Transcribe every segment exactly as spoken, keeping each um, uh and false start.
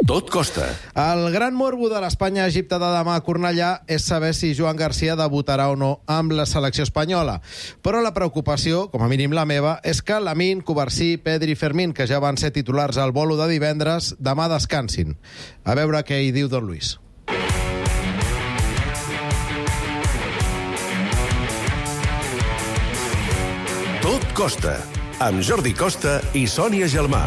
Tot costa. El gran morbo de l'Espanya-Egipte de demà a Cornellà és saber si Joan Garcia debutarà o no amb la selecció espanyola. Però la preocupació, com a mínim la meva, és que Lamine, Covarsí, Pedri i Fermín, que ja van ser titulars al bolo de divendres, demà descansin. A veure què hi diu Don Luis. Tot costa, amb Jordi Costa i Sònia Gelmà.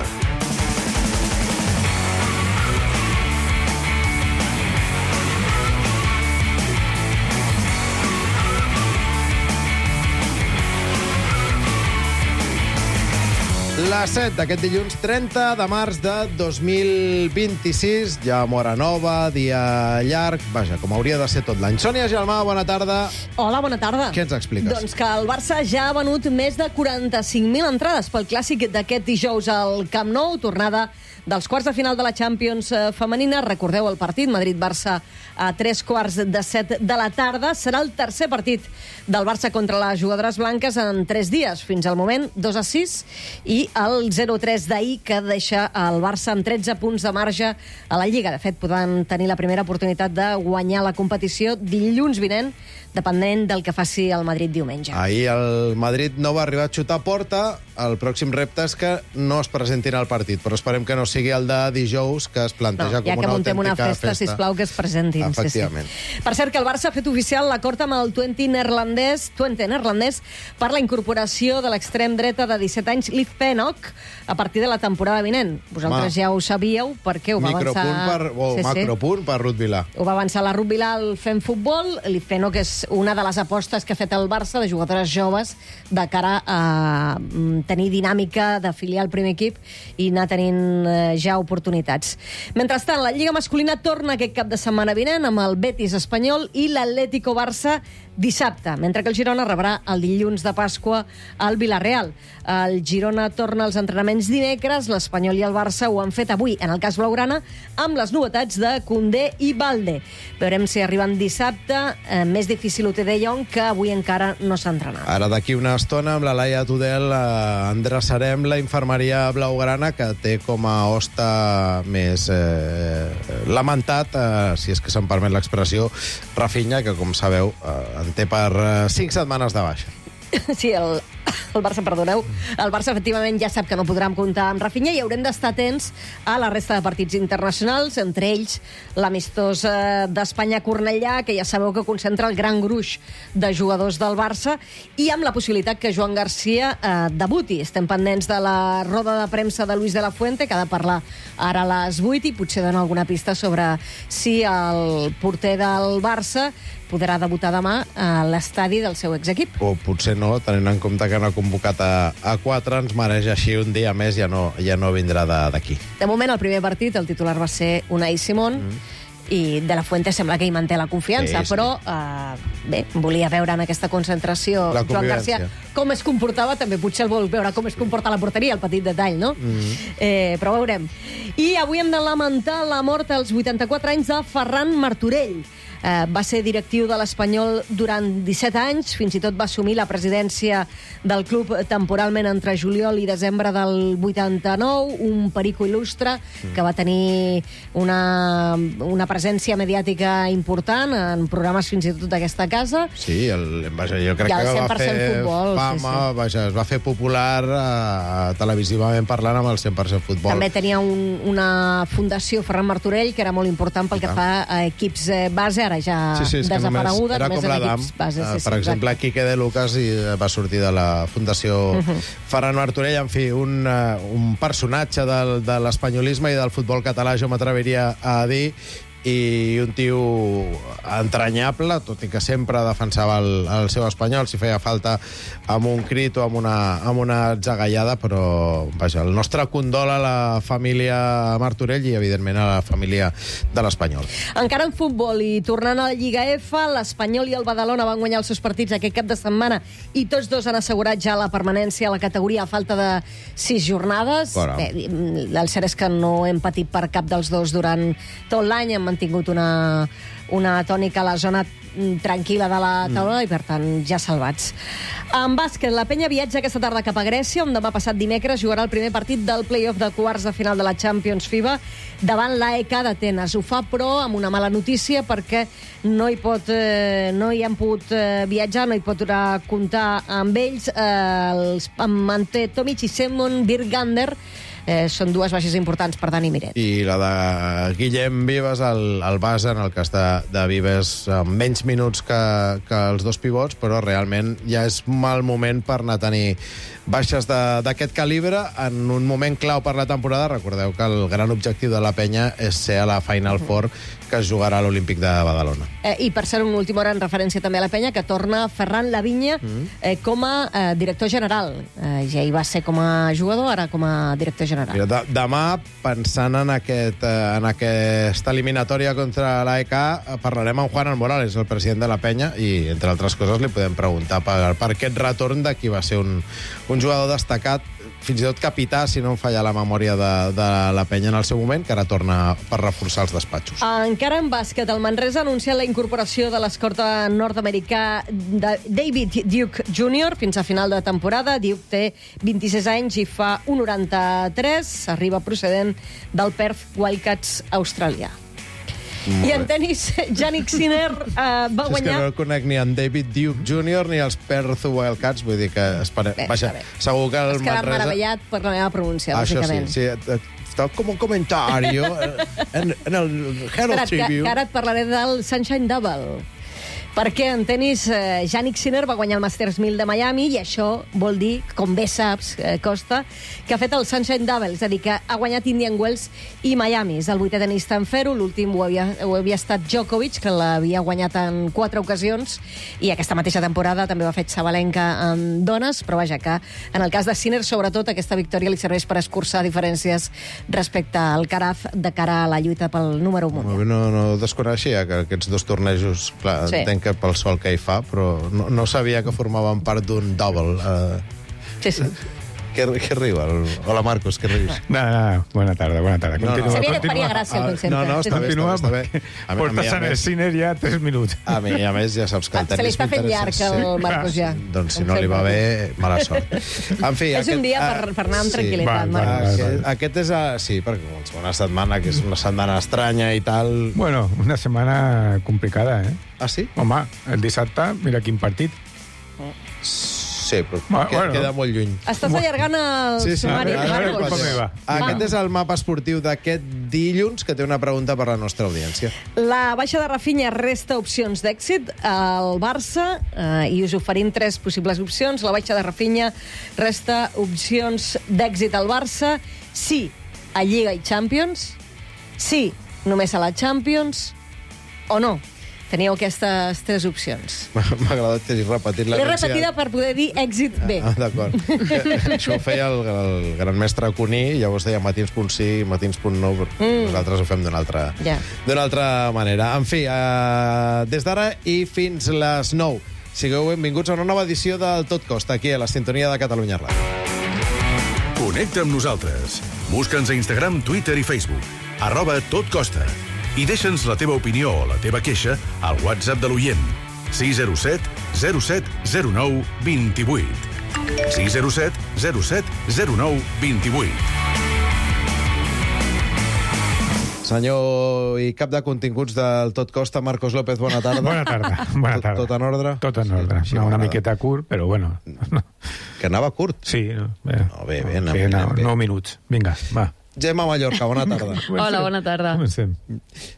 Les set d'aquest dilluns trenta de març de dos mil vint-i-sis, ja mora nova, dia llarg, vaja, com hauria de ser tot l'any. Sònia Gelmà, bona tarda. Hola, bona tarda. Què ens expliques? Doncs que el Barça ja ha venut més de quaranta-cinc mil entrades pel clàssic d'aquest dijous al Camp Nou, tornada dels quarts de final de la Champions femenina. Recordeu el partit Madrid-Barça a tres quarts de set de la tarda. Serà el tercer partit del Barça contra les jugadores blanques en tres dies. Fins al moment, dos a sis, i el zero a tres d'ahir, que deixa el Barça amb tretze punts de marge a la Lliga. De fet, poden tenir la primera oportunitat de guanyar la competició dilluns vinent, dependent del que faci el Madrid diumenge. Ahir el Madrid no va arribar a xutar a porta. El pròxim repte és que no es presentin al partit, però esperem que no sigui el de dijous, que es planteja no, com una autèntica una festa, festa. sisplau, que es presentin. Efectivament. Sí, sí. Per cert, que el Barça ha fet oficial l'acord amb el Twente neerlandès, Twente neerlandès per la incorporació de l'extrem dreta de disset anys, Liv Pennock, a partir de la temporada vinent. Vosaltres Ma. ja ho sabíeu, perquè ho va avançar... Per, o sí, macropunt sí. per Ruth Vilà. Ho va avançar la Ruth Vilà al Fem Futbol. Liv Pennock és una de les apostes que ha fet el Barça de jugadores joves de cara a tenir dinàmica d'afiliar al primer equip i anar tenint ja oportunitats. Mentrestant, la Lliga masculina torna aquest cap de setmana vinent amb el Betis espanyol i l'Atlético Barça dissabte, mentre que el Girona rebrà el dilluns de Pasqua al Villarreal. El Girona torna als entrenaments dimecres, l'Espanyol i el Barça ho han fet avui, en el cas blaugrana, amb les novetats de Koundé i Balde. Veurem si arriben dissabte. Eh, més difícil ho té De Jong, que avui encara no s'ha entrenat. Ara, d'aquí una estona, amb la Laia Tudel, eh, endreçarem la infermeria blaugrana, que té com a hoste més eh, lamentat, eh, si és que se'n permet l'expressió, Rafinha, que, com sabeu, eh, en té per eh, cinc setmanes de baixa. Sí, el, el Barça, perdoneu, el Barça efectivament ja sap que no podran comptar amb Rafinha i haurem d'estar atents a la resta de partits internacionals, entre ells l'amistós eh, d'Espanya-Cornellà, que ja sabeu que concentra el gran gruix de jugadors del Barça, i amb la possibilitat que Joan Garcia eh, debuti. Estem pendents de la roda de premsa de Luis de la Fuente, que ha de parlar ara a les vuit, i potser dona alguna pista sobre si el porter del Barça podrà debutar demà a l'estadi del seu exequip. O potser no, tenint en compte que no ha convocat a, a quatre, ens mereix així un dia més, ja no, ja no vindrà d'aquí. De, de moment, el primer partit, el titular va ser Unai Simón, mm. i De la Fuente sembla que hi manté la confiança, sí, sí. però eh, bé, volia veure en aquesta concentració Joan Garcia com es comportava, també potser el vol veure com es comporta la porteria, el petit detall, no? Mm. Eh, però veurem. I avui hem de lamentar la mort als vuitanta-quatre anys de Ferran Martorell. Eh, va ser directiu de l'Espanyol durant disset anys, fins i tot va assumir la presidència del club temporalment entre juliol i desembre del vuitanta-nou, un perico il·lustre mm. que va tenir una, una presència mediàtica important en programes fins i tot d'aquesta casa. Sí, el, vaja, jo crec que va fer futbol, fama, sí, sí. Vaja, es va fer popular eh, televisivament parlant amb el cent per cent futbol. També tenia un, una fundació, Ferran Martorell, que era molt important pel que fa a equips eh, base, ara ja sí, sí, desapareguda. Era com l'Adam. Sí, uh, sí, per exemple, exacte. Quique de Lucas i va sortir de la Fundació uh -huh. Ferran Martorell. En fi, un, uh, un personatge del, de l'espanyolisme i del futbol català, jo m'atreviria a dir, i un tio entranyable, tot i que sempre defensava el, el seu espanyol, si feia falta amb un crit o amb una, amb una zagallada, però vaja, el nostre condol a la família Martorell i, evidentment, a la família de l'Espanyol. Encara en futbol, i tornant a la Lliga F, l'Espanyol i el Badalona van guanyar els seus partits aquest cap de setmana i tots dos han assegurat ja la permanència a la categoria a falta de sis jornades. Bé, el cert és que no hem patit per cap dels dos durant tot l'any, hem mantingut una, una tònica a la zona tranquil·la de la taula mm. i, per tant, ja salvats. En bàsquet, la Penya viatja aquesta tarda cap a Grècia, on demà passat dimecres jugarà el primer partit del play-off de quarts de final de la Champions FIBA davant l'A E K d'Atenes. Ho fa, però, amb una mala notícia, perquè no hi, pot, eh, no hi han pogut eh, viatjar, no hi podrà comptar amb ells. Eh, els manté Tomic i Simon Birgander. Eh, són dues baixes importants per Dani Miret. I la de Guillem Vives, el, el base, en el cas de, de Vives, amb menys minuts que, que els dos pivots, però realment ja és mal moment per anar a tenir baixes d'aquest calibre en un moment clau per la temporada. Recordeu que el gran objectiu de la Penya és ser a la Final Four, que es jugarà a l'Olímpic de Badalona. Eh, I per ser una última hora en referència també a la Penya, que torna Ferran Lavinya eh, com a eh, director general. Eh, ja hi va ser com a jugador, ara com a director general. Mira, de, demà, pensant en, aquest, eh, en aquesta eliminatòria contra l'A E K, parlarem amb Juan Morales, el president de la Penya, i, entre altres coses, li podem preguntar per, per aquest retorn de qui va ser un, un jugador destacat, fins i tot capità, si no em falla la memòria de, de la Penya en el seu moment, que ara torna per reforçar els despatxos. Encara en bàsquet, el Manresa ha anunciat la incorporació de l'escorta nord-americà de David Duke júnior fins a final de temporada. Duke té vint-i-sis anys i fa un noranta-tres. Arriba procedent del Perth Wildcats australià. I en tenis, Jannik Sinner uh, va és guanyar... És que no el conec ni en David Duke júnior ni els Perth Wildcats, vull dir que... Espere... Bé, Vaja, segur que el Has quedat Manresa... meravellat per la meva pronúncia, Això bàsicament. sí, sí. Està com un comentari en, en el Herald Espera't, que, Tribune. que ara et parlaré del Sunshine Double. Perquè en tenis, eh, Jannik Sinner va guanyar el Masters mil de Miami i això vol dir, com bé saps, eh, Costa, que ha fet el Sunshine Double, és a dir, que ha guanyat Indian Wells i Miami. És el vuitè tenista en fer-ho, l'últim ho, havia, ho havia estat Djokovic, que l'havia guanyat en quatre ocasions, i aquesta mateixa temporada també ho ha fet Sabalenka en dones, però vaja, que en el cas de Sinner, sobretot, aquesta victòria li serveix per escurçar diferències respecte al Caraz de cara a la lluita pel número un mundial. No, no desconeixia que aquests dos tornejos, clar, Sí. entenc que pel sol que hi fa, però no, no sabia que formaven part d'un double. Uh, Sí, sí. què, què riu? El... Hola, Marcos, què rius? No, no, bona tarda, bona tarda. No, no. Continua, Sabia que et continua. faria gràcia el concepte. No, no, està bé, Continua, està bé. Està bé. A mi- a mi, portes a en el més- Sinner ja tres minuts. A mi, a més, ja saps que el Se li tenis està fent m'interessa. llarg, el Marcos, ja. Doncs si no li va bé, mala sort. En fi, És un dia ah, per, per anar amb sí. tranquil·litat, Va, Marcos. va, va. Aquest, aquest és... A, sí, perquè una setmana que és una setmana estranya i tal... Bueno, una setmana complicada, eh? Ah, sí? Home, el dissabte, mira quin partit. Sí, però Va, que, bueno. queda molt lluny. Estàs allargant el Sí, sí. sumari, A veure, Marcos. com va. Aquest és el mapa esportiu d'aquest dilluns, que té una pregunta per la nostra audiència. La baixa de Rafinha resta opcions d'èxit al Barça eh, i us oferim tres possibles opcions. La baixa de Rafinha resta opcions d'èxit al Barça. Sí, a Lliga i Champions. Sí, només a la Champions. O no. Teníeu aquestes tres opcions. M'ha agradat que hagis repetit L'he l'herència. repetida per poder dir èxit bé. Ah, d'acord. Això ho feia el, el gran mestre Cuní, llavors deia matins punt sí, matins punt no, però mm. nosaltres ho fem d'una altra, Ja. d'una altra manera. En fi, eh, des d'ara i fins les nou, sigueu benvinguts a una nova edició del Tot Costa, aquí a la sintonia de Catalunya Ràdio. Connecta amb nosaltres. Busca'ns a Instagram, Twitter i Facebook. Arroba Tot Costa. I deixa'ns la teva opinió o la teva queixa al WhatsApp de l'oient. sis zero set zero set zero nou dos vuit. sis zero set zero set zero nou dos vuit. Senyor i cap de continguts del Tot Costa, Marcos López, bona tarda. Bona tarda, bona tarda. Tot, tot en ordre? Tot en ordre. Sí, no, una m'agrada. miqueta curt, però bueno. Que anava curt. Sí, no, bé. No, bé, bé, anem, Sí, no, anem bé. nou minuts. Vinga, va. Gemma Mallorca, bona tarda. Hola, bona tarda. Comencem.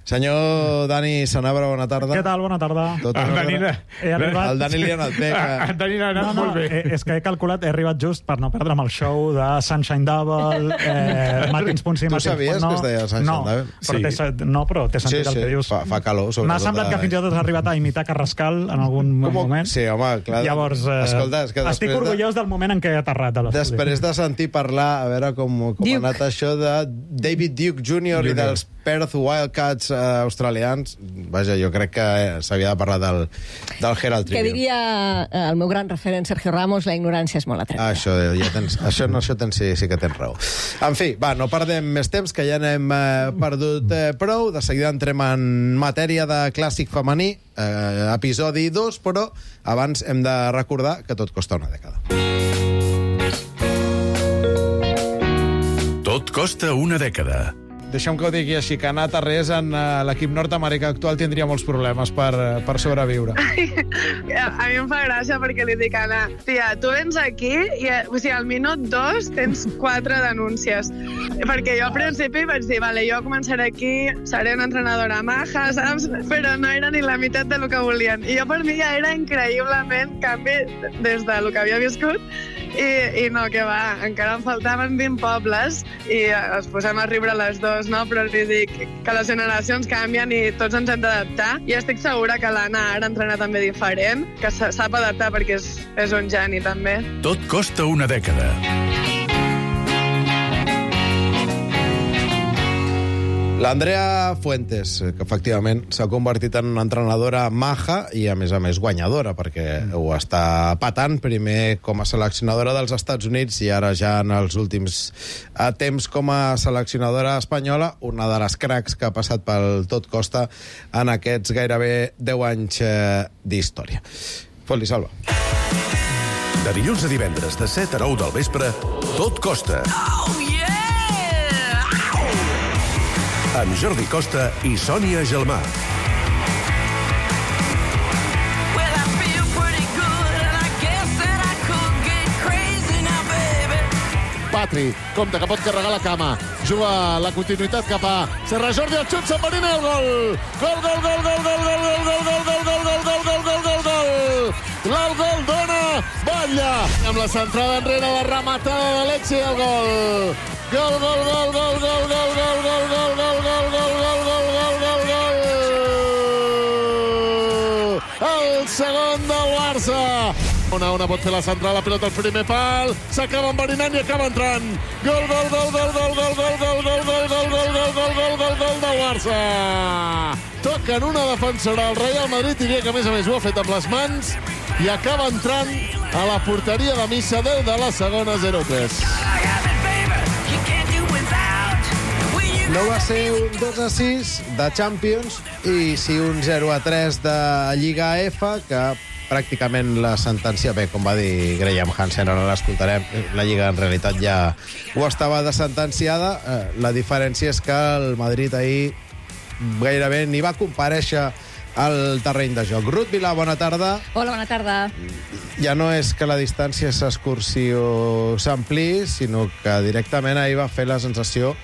Senyor Dani Sanabra, bona tarda. Què tal? Bona tarda. Tot en El ordre? Dani, He arribat- El Dani li ha anat bé. Ah, Que... el Dani l'ha anat No, no, molt bé. eh, és que he calculat, he arribat just per no perdre'm el show de Sunshine Double, eh, matins punt sí, Tu matins sabies punt no. que es deia Sunshine no, Double? Però Sí. té, se- no, però té sentit Sí, el sí, que dius. fa- fa calor, sobretot M'ha semblat a- que fins i tot has arribat a imitar Carrascal en algun Com... moment. Sí, home, clar. Llavors, eh, Escolta, és que estic després orgullós del moment en què he aterrat a l'estudi. De, després de sentir parlar, a veure com, com ha Duke. anat això de de David Duke júnior i dels Perth Wildcats uh, australians. Vaja, jo crec que s'havia de parlar del, del Herald Tribune. Que diria el meu gran referent Sergio Ramos, la ignorància és molt atrevida. Ah, això, ja tens, això, no, això tens, sí, sí que tens raó. En fi, va, no perdem més temps, que ja n'hem eh, perdut eh, prou. De seguida entrem en matèria de clàssic femení, eh, episodi dos, però abans hem de recordar que tot costa una dècada. Tot costa una dècada. Deixem que ho digui així, que anar a Tarrés en uh, l'equip nord-americà actual tindria molts problemes per, uh, per sobreviure. A mi em fa gràcia perquè li dic a Anna, tia, tu vens aquí i o sigui, al minut dos tens quatre denúncies. Perquè jo al principi vaig dir, vale, jo començaré aquí, seré una entrenadora maja, saps? Però no era ni la meitat del que volien. I jo per mi ja era increïblement canvi des del que havia viscut. I, i no, que va, encara em faltaven vint pobles i es posem a riure les dos, no? Però li dic que les generacions canvien i tots ens hem d'adaptar i estic segura que l'Anna ara entrena també diferent, que sap adaptar perquè és, és un geni també. Tot costa una dècada. L'Andrea Fuentes, que efectivament s'ha convertit en una entrenadora maja i, a més a més, guanyadora, perquè ho està patant, primer com a seleccionadora dels Estats Units i ara ja en els últims temps com a seleccionadora espanyola, una de les cracs que ha passat pel Tot Costa en aquests gairebé deu anys eh, d'història. Fot-li, Salva. De dilluns a divendres, de set a nou del vespre, Tot Costa. Oh, yeah! Amb Jordi Costa i Sònia Gelmà. Well, I feel pretty good and I guess that I could get crazy now, baby. Patri, compte que pot carregar la cama. Juga la continuïtat cap a Serra Jordi, el xut, Sant Marina, el gol! Gol, gol, gol, gol, gol, gol, gol, gol, gol, gol, gol, gol, gol, gol, gol, gol, gol! El gol dona Batlle! Amb la centrada enrere, la rematada d'Alexi, el gol! Gol, gol, gol, gol, gol, gol, gol, gol, gol, gol, gol, gol, gol, gol, gol, gol, gol! El segon del Barça! Una, una pot fer la central, la pilota al primer pal, s'acaba enverinant i acaba entrant. Gol, gol, gol, gol, gol, gol, gol, gol, gol, gol, gol, gol, gol, gol, gol, gol, gol del Barça! Toquen una defensora al Real Madrid, diria que a més a més ho ha fet amb les mans, i acaba entrant a la porteria de Missa, deu de la segona, zero tres. No va ser un dos a sis de Champions i sí un zero a tres de Lliga F, que pràcticament la sentència, bé, com va dir Graham Hansen, ara l'escoltarem, la Lliga en realitat ja ho estava de sentenciada. La diferència és que el Madrid ahir gairebé ni va comparèixer al terreny de joc. Ruth Vilà, bona tarda. Hola, bona tarda. Ja no és que la distància s'escurci o s'ampliï, sinó que directament ahir va fer la sensació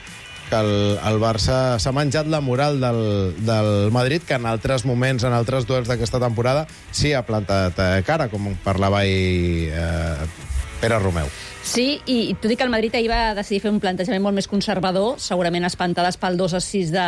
que el, el Barça s'ha menjat la moral del, del Madrid, que en altres moments, en altres duels d'aquesta temporada, sí ha plantat eh, cara, com parlava ahir eh, Pere Romeu. Sí, i tot i que el Madrid ahir va decidir fer un plantejament molt més conservador, segurament espantades pel dos a sis de,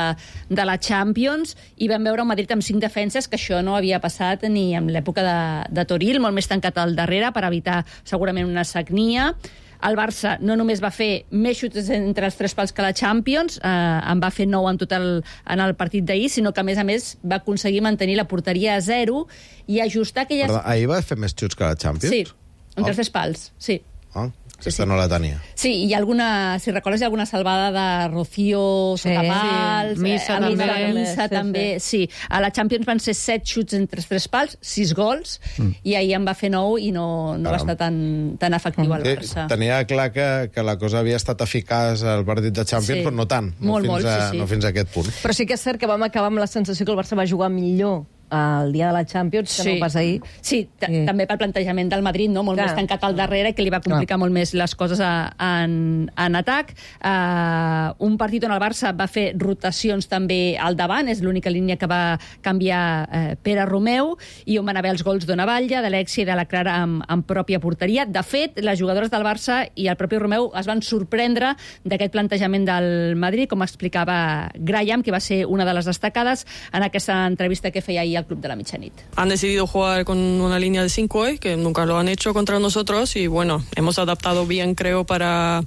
de la Champions, i vam veure un Madrid amb cinc defenses, que això no havia passat ni en l'època de, de Toril, molt més tancat al darrere per evitar segurament una sagnia. El Barça no només va fer més xuts entre els tres pals que la Champions, eh, en va fer nou en total en el partit d'ahir, sinó que, a més a més, va aconseguir mantenir la porteria a zero i ajustar aquelles... Perdó, ahir va fer més xuts que la Champions? Sí, entre oh. els tres pals, sí. Ah, aquesta sí, sí. no la tenia. Sí, hi ha alguna, si recordes, hi ha alguna salvada de Rocío Sí, sota pals, sí. Missa eh, també. Missa, Missa Sí, també, sí. A la Champions van ser set xuts entre els tres pals, sis gols, mm. i ahir en va fer nou i no, no va estar tan, tan efectiu al Barça. Sí, tenia clar que, que la cosa havia estat eficaç al partit de Champions, Sí. però no tant, no, Molt, fins, molt, a, sí, sí. no fins a aquest punt. Però sí que és cert que vam acabar amb la sensació que el Barça va jugar millor el dia de la Champions, que Sí. no pas ahir. Sí, t- Sí. també pel plantejament del Madrid, no? Molt Clar. més tancat al darrere, que li va complicar molt més les coses a, en, en atac. Uh, un partit on el Barça va fer rotacions també al davant, és l'única línia que va canviar uh, Pere Romeu, i on van haver els gols d'Ona Batlle, d'Alexia i de la Clara amb, amb pròpia porteria. De fet, les jugadores del Barça i el propi Romeu es van sorprendre d'aquest plantejament del Madrid, com explicava Graham, que va ser una de les destacades en aquesta entrevista que feia ahir al Club de la Mitjanit. Han decidido jugar con una línea de cinco hoy, que nunca lo han hecho contra nosotros, y bueno, hemos adaptado bien, creo, para,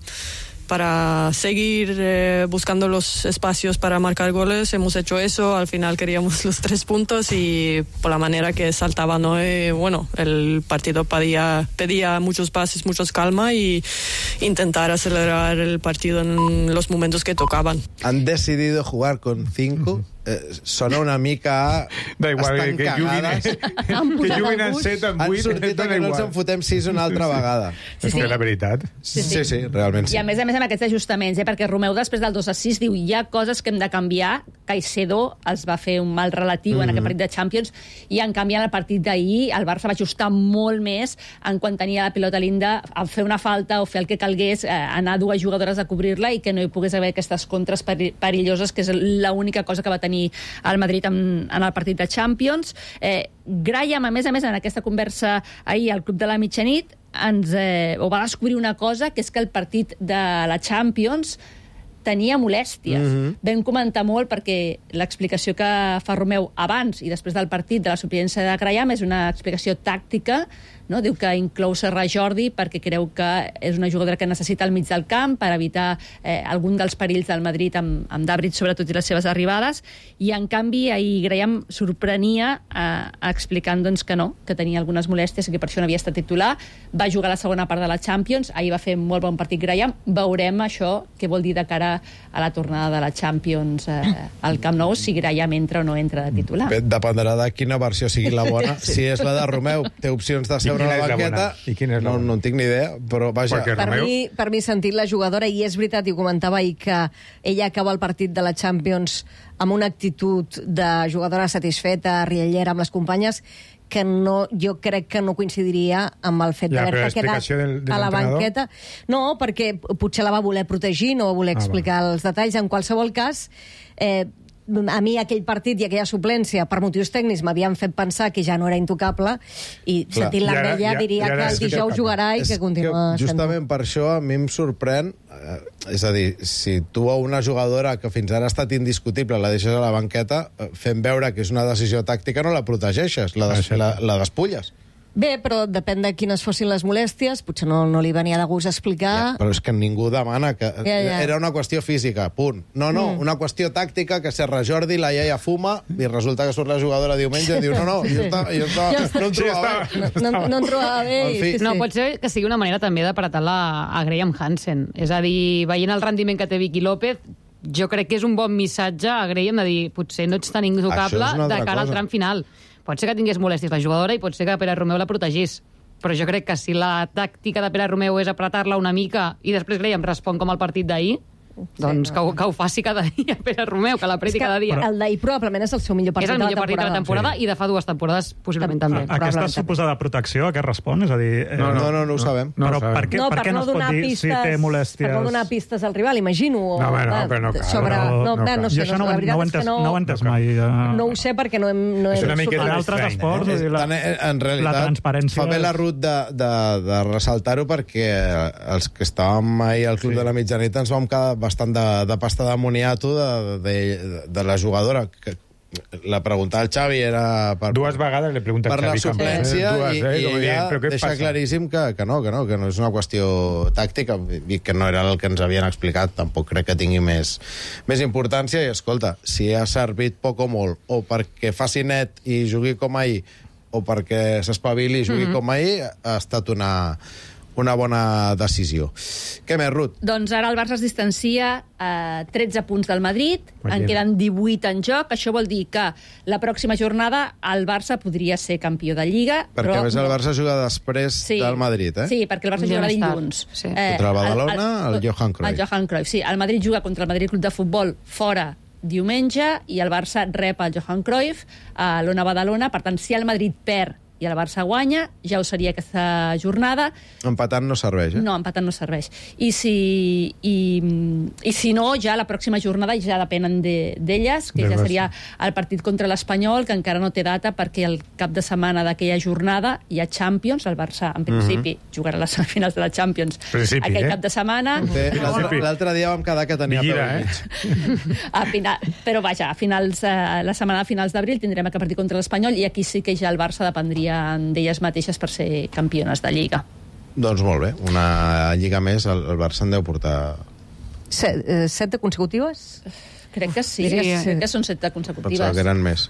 para seguir eh, buscando los espacios para marcar goles. Hemos hecho eso, al final queríamos los tres puntos y por la manera que saltaba Noé, bueno, el partido pedía, pedía muchos pases, muchos calma y intentar acelerar el partido en los momentos que tocaban. Han decidido jugar con cinco. Eh, sona una mica... Da igual, estan que cagades. juguin, que juguin en set, en Han vuit... sortit a que no ens en fotem sis una altra vegada. Sí, sí. És la veritat. Sí, sí, sí, realment sí. I a més a més amb aquests ajustaments, eh? perquè Romeu després del dos a sis diu hi ha coses que hem de canviar. Caicedo els va fer un mal relatiu mm-hmm. en aquest partit de Champions i en canvi en el partit d'ahir el Barça va ajustar molt més en quan tenia la pilota linda a fer una falta o fer el que calgués, eh, anar dues jugadores a cobrir-la i que no hi pogués haver aquestes contres perilloses, que és l'única cosa que va tenir al Madrid en, en el partit de Champions. Eh, Graham, a més a més, en aquesta conversa ahir al Club de la Mitjanit, ens eh, o va descobrir una cosa, que és que el partit de la Champions tenia molèsties. Mm-hmm. Vam comentar molt perquè l'explicació que fa Romeu abans i després del partit de la suplència de Graham és una explicació tàctica, no? Diu que inclou Serra Jordi perquè creu que és una jugadora que necessita al mig del camp per evitar eh, algun dels perills del Madrid amb, amb Dabrit, sobretot, i les seves arribades, i en canvi ahir Graham sorprenia eh, explicant doncs, que no, que tenia algunes molèsties i que per això no havia estat titular. Va jugar la segona part de la Champions, ahir va fer molt bon partit Graham. Veurem això què vol dir de cara a la tornada de la Champions eh, al Camp Nou, si Graham entra o no entra de titular. Bé, dependrà de quina versió sigui la bona. Sí. Si és la de Romeu, té opcions de seure a la banqueta. I quina és la no, no en tinc ni idea, però vaja. Per Romeu... mi, per mi sentit la jugadora, i és veritat, i ho comentava ahir, que ella acaba el partit de la Champions amb una actitud de jugadora satisfeta, riallera amb les companyes, que no, jo crec que no coincidiria amb el fet ja, d'haver-se quedat del, del a la banqueta. No, perquè potser la va voler protegir, no va voler explicar ah, els detalls. En qualsevol cas, eh, a mi aquell partit i aquella suplència per motius tècnics m'havien fet pensar que ja no era intocable i sentint-la amb ella diria que el dijous jugarà i que continua sent. Justament per això a mi em sorprèn, eh, és a dir, si tu a una jugadora que fins ara ha estat indiscutible la deixes a la banqueta, eh, fent veure que és una decisió tàctica, no la protegeixes, la, des, la, la despulles. Bé, però depèn de quines fossin les molèsties, potser no, no li venia de gust explicar... Ja, però és que ningú demana que... Ja, ja. Era una qüestió física, punt. No, no, mm. una qüestió tàctica, que Serra Jordi, la iaia fuma, i resulta que surt la jugadora diumenge i diu no, no, jo, estava, jo, estava, jo no em trobava bé. No, no, no em trobava bé. En fi. No, pot ser que sigui una manera també d'apretar-la a Graham Hansen. És a dir, veient el rendiment que té Vicky López, jo crec que és un bon missatge a Graham de dir, potser no ets tan intocable de cara al tram final. Pot ser que tingués molèsties la jugadora i pot ser que Pere Romeu la protegís. Però jo crec que si la tàctica de Pere Romeu és apretar-la una mica i després Graham respon com el partit d'ahir, doncs sí, no. que, ho, que ho faci cada dia Pere Romeu, que l'apreti cada dia. El d'ahir probablement és el seu millor partit, és el millor partit de la temporada sí. i de fa dues temporades possiblement també. A, aquesta suposada protecció, a què respon? És a dir, eh, no, no, no, no ho sabem. No, però no per què no, per què no, no es pot dir pistes, si té molèsties? Per no donar pistes al rival, imagino. O, no, no, que no cal. Sobre, no, no, no, no sé, jo això no, la veritat no, és que no... No ho he entès mai. Uh... No ho sé perquè no hem... No és una miqueta en altres esports, eh? la, en realitat, la transparència... fa bé la Ruth de, de, de ressaltar-ho perquè els que estàvem ahir al Club sí. de la Mitjanit ens vam quedar bastant de, de pasta d'amoniato de, de, de la jugadora. Que, la pregunta al Xavi era... Per, Dues vegades li pregunta per al Xavi. Per la suplència Dues, i, eh? i ella dient, deixa passa? claríssim que, que, no, que no, que no és una qüestió tàctica i que no era el que ens havien explicat. Tampoc crec que tingui més, més importància. I, escolta, si ha servit poc o molt, o perquè faci net i jugui com ahir, o perquè s'espavili i jugui mm-hmm. com ahir, ha estat una... una bona decisió. Què més, Ruth? Doncs ara el Barça es distancia a tretze punts del Madrid, Imagina. en queden divuit en joc. Això vol dir que la pròxima jornada el Barça podria ser campió de Lliga. Perquè però... a més el Barça juga després sí. del Madrid, eh? Sí, perquè el Barça jugarà dilluns. Sí. Eh, contra el Badalona, el, el, el Johan Cruyff. El Johan Cruyff, sí. El Madrid juga contra el Madrid Club de Futbol fora diumenge i el Barça rep el Johan Cruyff a l'Ona Badalona. Per tant, si el Madrid perd i el Barça guanya, ja ho seria aquesta jornada. Empatant no serveix, eh? No, empatant no serveix. I si, i, i si no, ja la pròxima jornada ja depenen d'elles, de, que de ja seria el partit contra l'Espanyol, que encara no té data perquè el cap de setmana d'aquella jornada hi ha Champions, el Barça en principi mm-hmm. jugarà a les semifinals de la Champions principi, aquell eh? cap de setmana. L'altre dia vam quedar que tenia Vigila, peu eh? a final, però vaja, a finals, a la setmana de finals d'abril tindrem aquest partit contra l'Espanyol i aquí sí que ja el Barça dependria d'elles mateixes per ser campiones de Lliga. Doncs molt bé, una Lliga més, el, el Barça en deu portar Set, eh, set de consecutives? Crec que sí, Diria sí. sí. Crec que són set de consecutives. Pensava que eren més.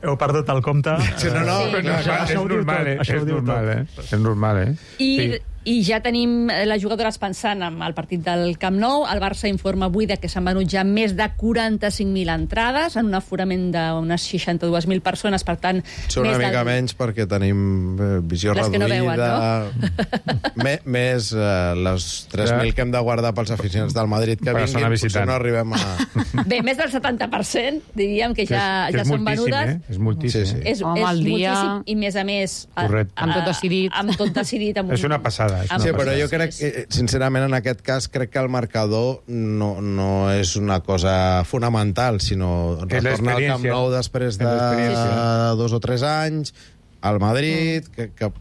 Heu perdut el compte. Sí, no, no, Sí. no, no, Això, és ho diu normal, tot, eh? això ho És diu normal, tot. eh? És normal, eh? I, Sí. I ja tenim les jugadores pensant en el partit del Camp Nou. El Barça informa avui de que s'han venut ja més de quaranta-cinc mil entrades en un aforament d'unes seixanta-dues mil persones, per tant... Són una més mica del... menys perquè tenim eh, visió Les que no reduïda. veuen, no? Me, més eh, les tres mil que hem de guardar pels aficionats del Madrid que Per vinguin, zona potser visitant. no arribem a... Bé, més del setanta per cent, diríem que ja, que és, ja que és són moltíssim, venudes. Eh? És moltíssim. Sí, sí. És, Home, és al dia- moltíssim, i més a més... a- Correcte. a- Amb tot decidit. Amb tot decidit. Amb És una passada. És amb- una Sí, però passada. jo crec que, sincerament, en aquest cas, crec que el marcador no, no és una cosa fonamental, sinó És retornar al Camp l'experiència. Nou després És de l'experiència. dos o tres anys, al Madrid, que, que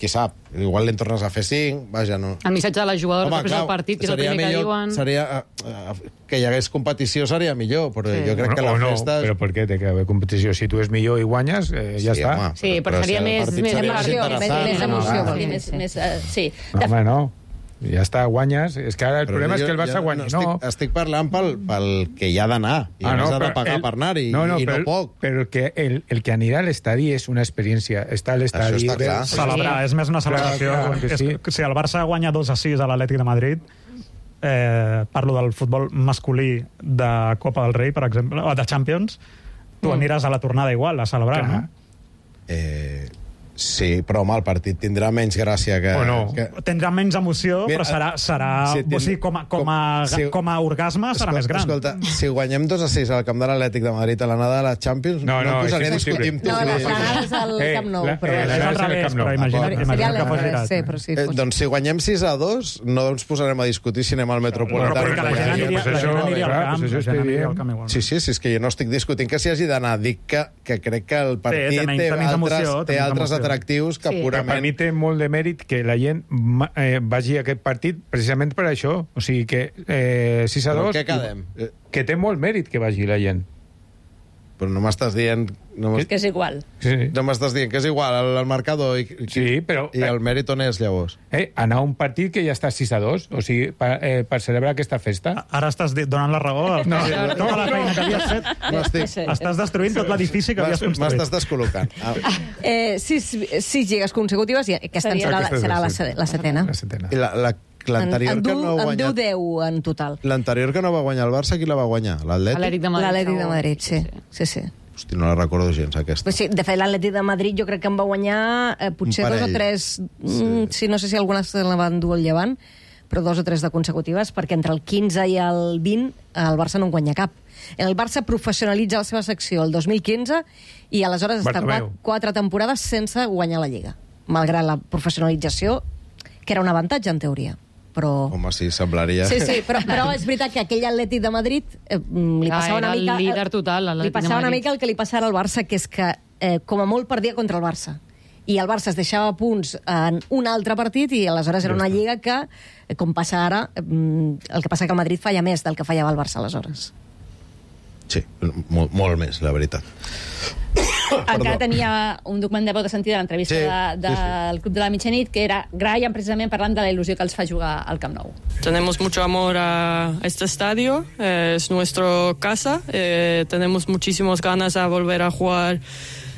qui sap, igual li'n tornes a fer cinc, vaja, no... El missatge de les jugadores després del partit, que és el seria primer que millor, diuen... Seria, eh, eh, que hi hagués competició seria millor, però Sí. jo crec que o la no, festa... però per què té que haver competició? Si tu és millor i guanyes, eh, ja Sí, està. home, Sí, però seria si el més- partit més seria emoció, interessant, més- més no? emoció, Ah, vol Sí, dir. més, més, uh, sí. No, home, no. Ja està, guanyes. És que ara el Però problema jo- és que el Barça jo guanyi. No, No, estic, estic parlant pel, pel que hi ha d'anar. I Ah, a més no, ha de però pagar el- per anar-hi, no, no, i no però- poc. Però que el, el que anirà a l'estadi és una experiència. Està a l'estadi... Això està clar. Celebrar, és més una celebració. Clar, clar, que és, sí. que, si el Barça guanya dos a sis a l'Atlètic de Madrid, eh, parlo del futbol masculí de Copa del Rei, per exemple, o de Champions, tu Mm. aniràs a la tornada igual, a celebrar, Clar. no? Eh, sí, però home, el partit tindrà menys gràcia que... O no. que... Tindrà menys emoció, Mira, però serà, serà si o tind- sigui, com, a, com, a, com- si- com a orgasme serà Escolta, més gran. Escolta, si guanyem dos a sis al camp de l'Atlètic de Madrid a l'anada de la Champions, No, no, no, em posaria a és discutir amb tu. No, la Sí. l'anada és al Eh, Camp Nou, la- però... eh, És la- al és el revés, Camp Nou. però imagina't, Seria imagina't que fos al girat. revés, sí, però sí, Eh, fos- doncs si guanyem sis a dos, no ens posarem a discutir si anem al Metropolità. Però perquè la gent aniria, pues la gent això, aniria al clar, camp, pues això la gent aniria estic al camp igual. Sí, sí, sí, és que jo no estic discutint que s'hi hagi d'anar. Dic que, que crec que el partit tenim- té tenim altres, emoció, té tenim altres emoció. atractius que Sí. Que per purament... mi té molt de mèrit que la gent ma- eh, vagi a aquest partit precisament per això. O sigui que eh, sis a Però dos... què quedem? Eh, Que té molt mèrit que vagi la gent. Però no m'estàs dient... No És que és igual. Sí. no m'estàs dient que és igual al, al marcador i, i, Sí, però- i el mèrit on és, llavors? Eh, anar a un partit que ja està sis a dos, o sigui, per, eh, per celebrar aquesta festa. Ara estàs di- donant la raó a No, tota la feina que havies fet. No estic... Estàs destruint tot l'edifici que havies construït. M'estàs descol·locant. Ah, Eh, sis, sis lligues consecutives i aquesta Seria- serà, la, Aquesta és serà la la, setena. se- la setena. La setena. I la, la, En, l'anterior en, que du, no ha en du guanyat... deu en total. L'anterior que no va guanyar el Barça, qui la va guanyar? L'Atlètic? L'Atlètic de Madrid. L'Atlètic de segur. Madrid, sí. sí, sí. Hosti, no la recordo gens, aquesta. Però sí, de fet, l'Atlètic de Madrid jo crec que en va guanyar eh, potser Un dos o parell. tres... Mm, sí, no sé si algunes se la van dur al llevant, però dos o tres de consecutives, perquè entre el quinze i el vint el Barça no en guanya cap. El Barça professionalitza la seva secció el dos mil quinze i aleshores està Bartomeu. quatre, quatre temporades sense guanyar la Lliga, malgrat la professionalització, que era un avantatge en teoria. Però... Home, sí, semblaria... Sí, sí, però, però és veritat que aquell Atlètic de Madrid eh, li Ah, passava una era el mica... líder total, l'Atlètic li passava de una Madrid. mica el que li passava al Barça, que és que eh, com a molt perdia contra el Barça. I el Barça es deixava punts en un altre partit i aleshores era una lliga que, eh, com passa ara, eh, el que passa que el Madrid falla més del que fallava el Barça aleshores. Sí, molt, molt més, la veritat. Encara tenia un document de veu de sentir de l'entrevista Sí, de, de, sí, sí. del Club de la Mitjanit, que era Graham precisament parlant de la il·lusió que els fa jugar al Camp Nou. Tenemos mucho amor a este estadio, eh, es nuestra casa, eh, tenemos muchísimas ganas de volver a jugar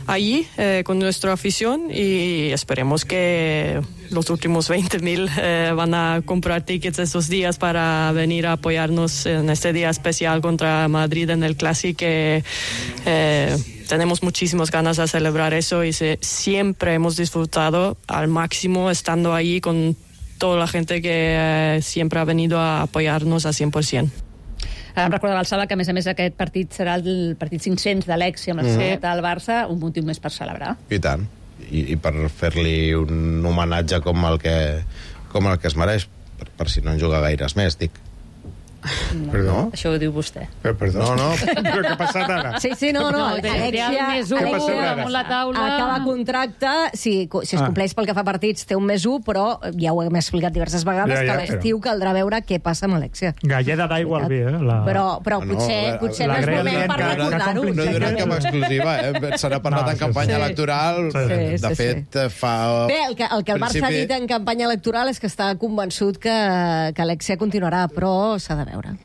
allí eh, con nuestra afición y esperemos que los últimos veinte mil eh, van a comprar tickets estos días para venir a apoyarnos en este día especial contra Madrid en el Clásico. Eh, eh, tenemos muchísimas ganas de celebrar eso y se, siempre hemos disfrutado al máximo estando allí con toda la gente que eh, siempre ha venido a apoyarnos a cien por ciento. Ara em recorda l'Alçada que, a més a més, aquest partit serà el partit cinc-cents de l'Exi amb la Mhm. mm. del Barça, un motiu més per celebrar. I tant. I, i per fer-li un homenatge com el que, com el que es mereix, per, per si no en juga gaires més, dic. No, Perdó? això ho diu vostè. Però, perdó. No, no. Però què ha passat ara? Sí, sí, no, no. No, té- té Alexia, el més u Què passa ara? Alexia damunt la taula. acaba contracte, si, si es Ah. compleix pel que fa partits, té un més un, però ja ho hem explicat diverses vegades, Ja, ja, que a l'estiu caldrà veure què passa amb Alexia. Galleda d'aigua al vi, eh? La... Però, però No, potser, la- potser la no és Greta moment dient per que- que recordar-ho. compli- No donen cap exclusiva, eh? Se n'ha parlat No, en sí, campanya sí. electoral. Sí, sí, De sí, fet, fa... Bé, el que, el que el Barça principi- ha dit en campanya electoral és que està convençut que, que Alexia continuarà, però s'ha de veure.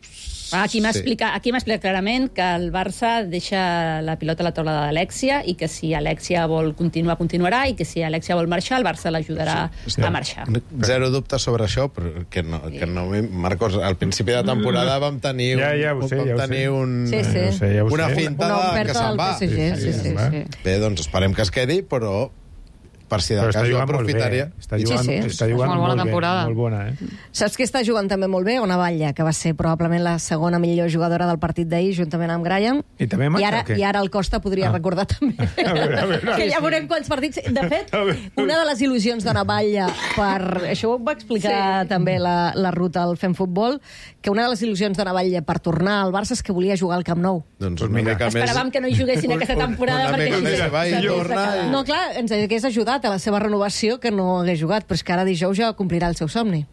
Aquí m'ha Sí. explicat, aquí m'ha explicat clarament que el Barça deixa la pilota a la taula d'Alexia i que si Alexia vol continuar, continuarà, i que si Alexia vol marxar, el Barça l'ajudarà a marxar. Zero dubte sobre això, però que no, que no... Marcos, al principi de temporada vam tenir, un, Ja, ja ho sé, vam ja ho tenir sé. un, Sí, sí. Ja ho sé, ja ho una sé. finta Una de que oferta se'n del va. P S G, sí, sí, va. sí. Bé, doncs esperem que es quedi, però per si de Però està cas jo jugant molt bé. aprofitaria... Està jugant, Sí, sí. està jugant Molt bona molt temporada. bé. Molt bona, eh? Saps qui està jugant també molt bé? Ona Batlle, que va ser probablement la segona millor jugadora del partit d'ahir, juntament amb Graham. I també marxa, I ara, o què? I ara el Costa podria Ah. recordar també. A veure, a veure. que ja veurem quants partits... De fet, A veure. una de les il·lusions d'Ona Batlle per... Això ho va explicar sí. també la, la ruta al Fem Futbol, que una de les il·lusions d'Ona Batlle per tornar al Barça és que volia jugar al Camp Nou. Doncs Pues una mira. mica més... Esperàvem que no hi juguessin aquesta temporada una perquè mica més sí, va i s'hagués torna de quedar. No, clar, ens hagués ajudat a la seva renovació que no hagués jugat, però és que ara dijous ja complirà el seu somni.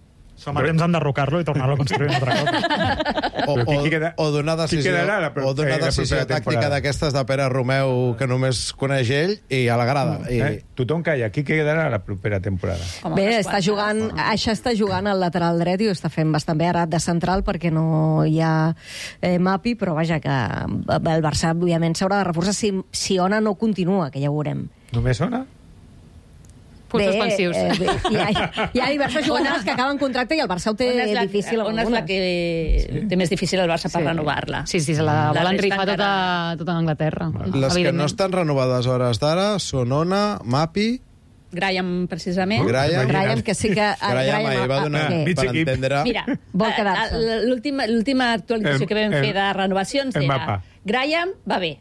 Som a temps d'enderrocar-lo i tornar-lo a construir un altre cop. O, Però qui- o, qui queda- o d'una qui decisió, quedarà la pro- o d'una eh, la decisió propera tàctica temporada? d'aquestes de Pere Romeu que només coneix ell i a la grada. I... Eh? Tothom calla. Qui quedarà la propera temporada? Com Bé, unes està quantes. jugant, Aixa està jugant al lateral dret i ho està fent bastant bé ara de central perquè no hi ha eh, Mapi, però vaja, que el Barça, òbviament, s'haurà de reforçar si, si Ona no continua, que ja ho veurem. Només sona? Punts suspensius. Eh, bé, hi, ha, hi ha diverses jugadores que acaben contracte i el Barça ho té On és la, difícil. on és la que té més difícil el Barça per Sí. renovar-la? Sí, sí, se la, La volen resta rifar tota, encara- tota Anglaterra. Les que no evidentment. estan renovades a hores d'ara són Ona, Mapi, Graham, precisament. Graham... Graham, que sí que... Graham ahir va donar, ah, mig per equip. entendre... Mira, Vol a- quedar-se. a- l'última l'última actualització Em- que vam em- fer de renovacions em era mapa. Graham va bé,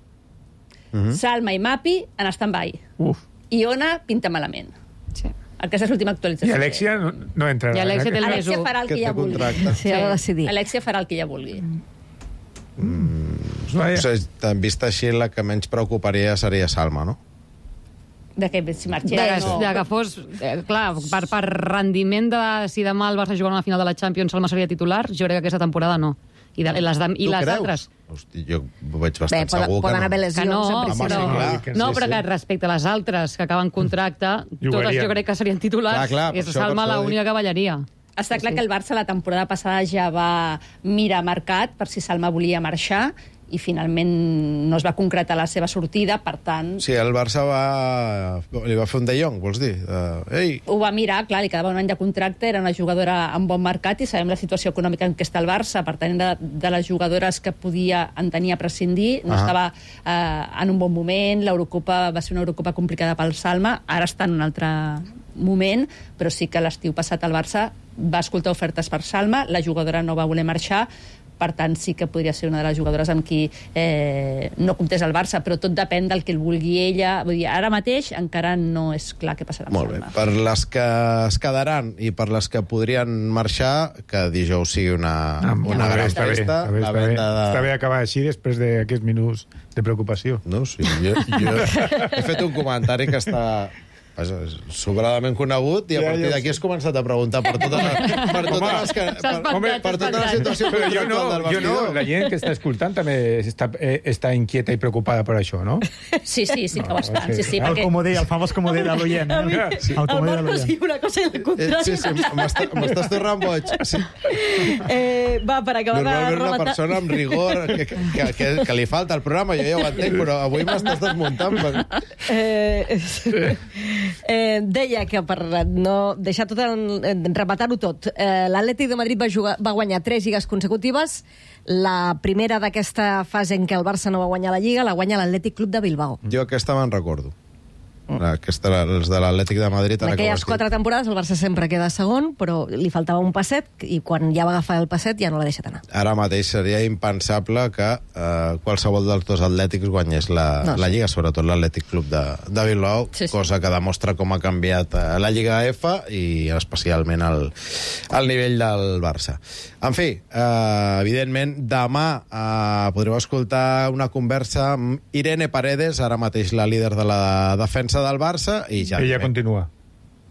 Mhm. Salma i Mapi en stand-by, Uf. i Ona pinta malament. Sí. Aquesta és l'última I actualització. Alexia no, no entrarà. I Alexia té el més Alexia u. farà el que, que ja té vulgui. contracte. Sí, ha de decidir. Alexia farà el que ja vulgui. Vaja. O sigui, vist així, la que menys preocuparia seria Salma, no? De que si De, marxés que, de que fos, eh, clar, per, per rendiment de si demà el Barça jugarà una final de la Champions, Salma seria titular, jo crec que aquesta temporada no. I, de, i les, de, i Tu les creus? altres. Hosti, jo ho veig Bé, bastant poden, segur poden que haver no. lesions, Que no, en Home, principi. sí, però, clar. que no, sí, però sí. que respecte a les altres que acaben contracte, totes Jugarien. jo crec que serien titulars, Clar, clar, per és això, per Salma això dic. l'única que ballaria. Està clar que el Barça la temporada passada ja va mirar mercat per si Salma volia marxar i finalment no es va concretar la seva sortida, per tant... Sí, el Barça va... li va fer un de Jong, vols dir? Uh, ei, Ho va mirar, clar, li quedava un any de contracte, era una jugadora amb bon mercat i sabem la situació econòmica en què està el Barça, per tant, de, de les jugadores que podia en tenir a prescindir, no Ah. estava eh, en un bon moment, l'Eurocopa va ser una Eurocopa complicada pel Salma, ara està en un altre moment, però sí que l'estiu passat el Barça va escoltar ofertes per Salma, la jugadora no va voler marxar, per tant sí que podria ser una de les jugadores amb qui eh, no comptés el Barça, però tot depèn del que el vulgui ella. Vull dir, ara mateix encara no és clar què passarà amb molt bé. Salma. Per les que es quedaran i per les que podrien marxar, que dijous sigui una, Ah, una està bé, gran està bé, festa, està bé, la està bé. venda de... Està bé acabar així després d'aquests minuts de preocupació. No, sí, jo, jo he fet un comentari que està vaja, sobradament conegut i a Ja, partir ja ho d'aquí sé. has començat a preguntar per totes les, per totes Home, les que, s'ha per, espantat, home, s'ha per tota la espantat. situació Però jo no, contractual del jo no, vestidor. la gent que està escoltant també està, eh, està inquieta i preocupada per això, no? Sí, sí, sí que ho estan. Sí, sí, El perquè... comodí, el famós comodí de l'oient. A mi, eh? el comodí de Marcos l'oient. diu una cosa i la Eh, contrària. Sí, sí, m'està- m'estàs tornant boig. Sí. Eh, va, per acabar de Normalment una rematar... persona amb rigor que, que, que, que li falta al programa, jo ja ho entenc, però avui m'estàs desmuntant. Per... Eh, eh, deia que per no deixar tot, en- rematar-ho tot, eh, l'Atlètic de Madrid va, jugar, va guanyar tres lligues consecutives. La primera d'aquesta fase en què el Barça no va guanyar la Lliga la guanya l'Atlètic Club de Bilbao. Jo aquesta me'n recordo. Aquesta, els de l'Atlètic de Madrid... En aquelles quatre temporades el Barça sempre queda segon, però li faltava un passet i quan ja va agafar el passet ja no l'ha deixat anar. Ara mateix seria impensable que eh, qualsevol dels dos atlètics guanyés la, no, la Lliga, sobretot l'Atlètic Club de, de Bilbao, sí, sí. cosa que demostra com ha canviat eh, la Lliga F i especialment el, el nivell del Barça. En fi, eh, evidentment, demà eh, podreu escoltar una conversa amb Irene Paredes, ara mateix la líder de la defensa del Barça, i ja... Ella continua.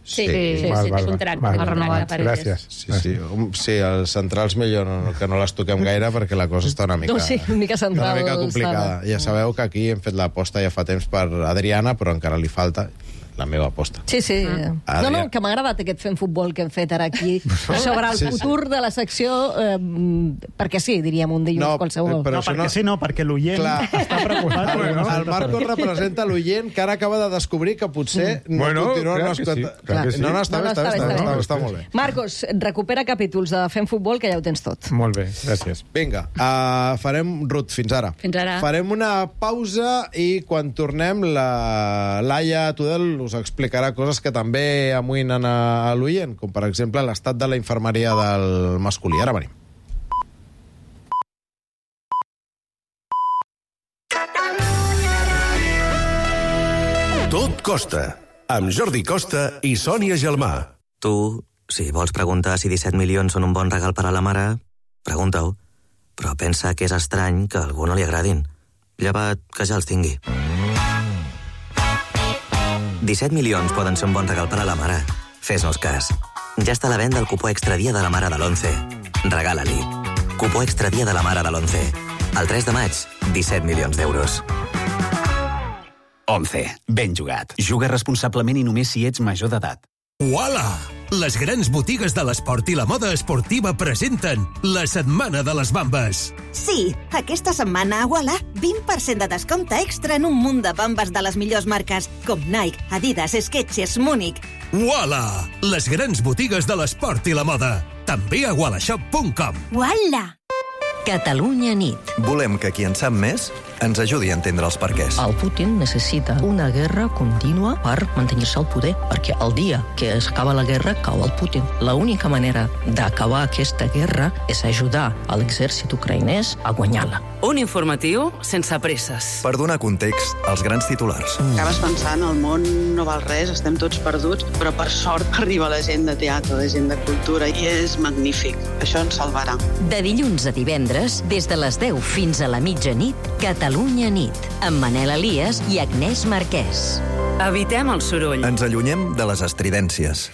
Sí, sí, sí, val, sí, val, contracte, val, contracte, val. Gràcies. Sí, sí, sí, els centrals millor no, que no les toquem gaire perquè la cosa està una mica, no, sí, una mica, central, una mica complicada. Ja sabeu que aquí hem fet l'aposta ja fa temps per Adriana, però encara li falta la meva aposta. Sí, sí. Mm. No, no, que m'ha agradat aquest fent futbol que hem fet ara aquí sobre el sí, futur sí. de la secció, eh, perquè sí, diríem un dilluns no, qualsevol. No, perquè no... sí, no, perquè l'oient està preocupat. El, no? el Marcos representa l'oient que ara acaba de descobrir que potser mm. no bueno, continua... Clar que sí, clar que sí. No, no, està, no, no, està, està, està, està, està, està molt bé. Marcos, recupera capítols de Fent Futbol, que ja ho tens tot. Molt bé, gràcies. Vinga, uh, farem, Ruth, fins ara. Fins ara. Farem una pausa i quan tornem la Laia Tudel us explicarà coses que també amoïnen a l'oient, com per exemple l'estat de la infermeria del masculí. Ara venim. Tot costa, amb Jordi Costa i Sònia Gelmà. Tu, si vols preguntar si disset milions són un bon regal per a la mare, pregunta-ho. Però pensa que és estrany que a algú no li agradin. Llevat que ja els tingui. disset milions poden ser un bon regal per a la mare. Fes-nos cas. Ja està a la venda el cupó extra dia de la mare de l'onze. Regala-li. Cupó extra dia de la mare de l'onze. El tres de maig, disset milions d'euros. onze. Ben jugat. Juga responsablement i només si ets major d'edat. Uala! Les grans botigues de l'esport i la moda esportiva presenten la Setmana de les Bambes. Sí, aquesta setmana a Uala, vint per cent de descompte extra en un munt de bambes de les millors marques, com Nike, Adidas, Skechers, Múnich. Uala! Les grans botigues de l'esport i la moda. També a ualashop punt com. Uala! Catalunya nit. Volem que qui en sap més ens ajudi a entendre els perquès. El Putin necessita una guerra contínua per mantenir-se al poder, perquè el dia que s'acaba la guerra cau el Putin. L'única manera d'acabar aquesta guerra és ajudar a l'exèrcit ucraïnès a guanyar-la. Un informatiu sense presses. Per donar context als grans titulars. Mm. Acabes pensant, el món no val res, estem tots perduts, però per sort arriba la gent de teatre, la gent de cultura, i és magnífic. Això ens salvarà. De dilluns a divendres, des de les deu fins a la mitjanit, Catalunya nit, amb Manel Elias i Agnès Marquès. Evitem el soroll. Ens allunyem de les estridències.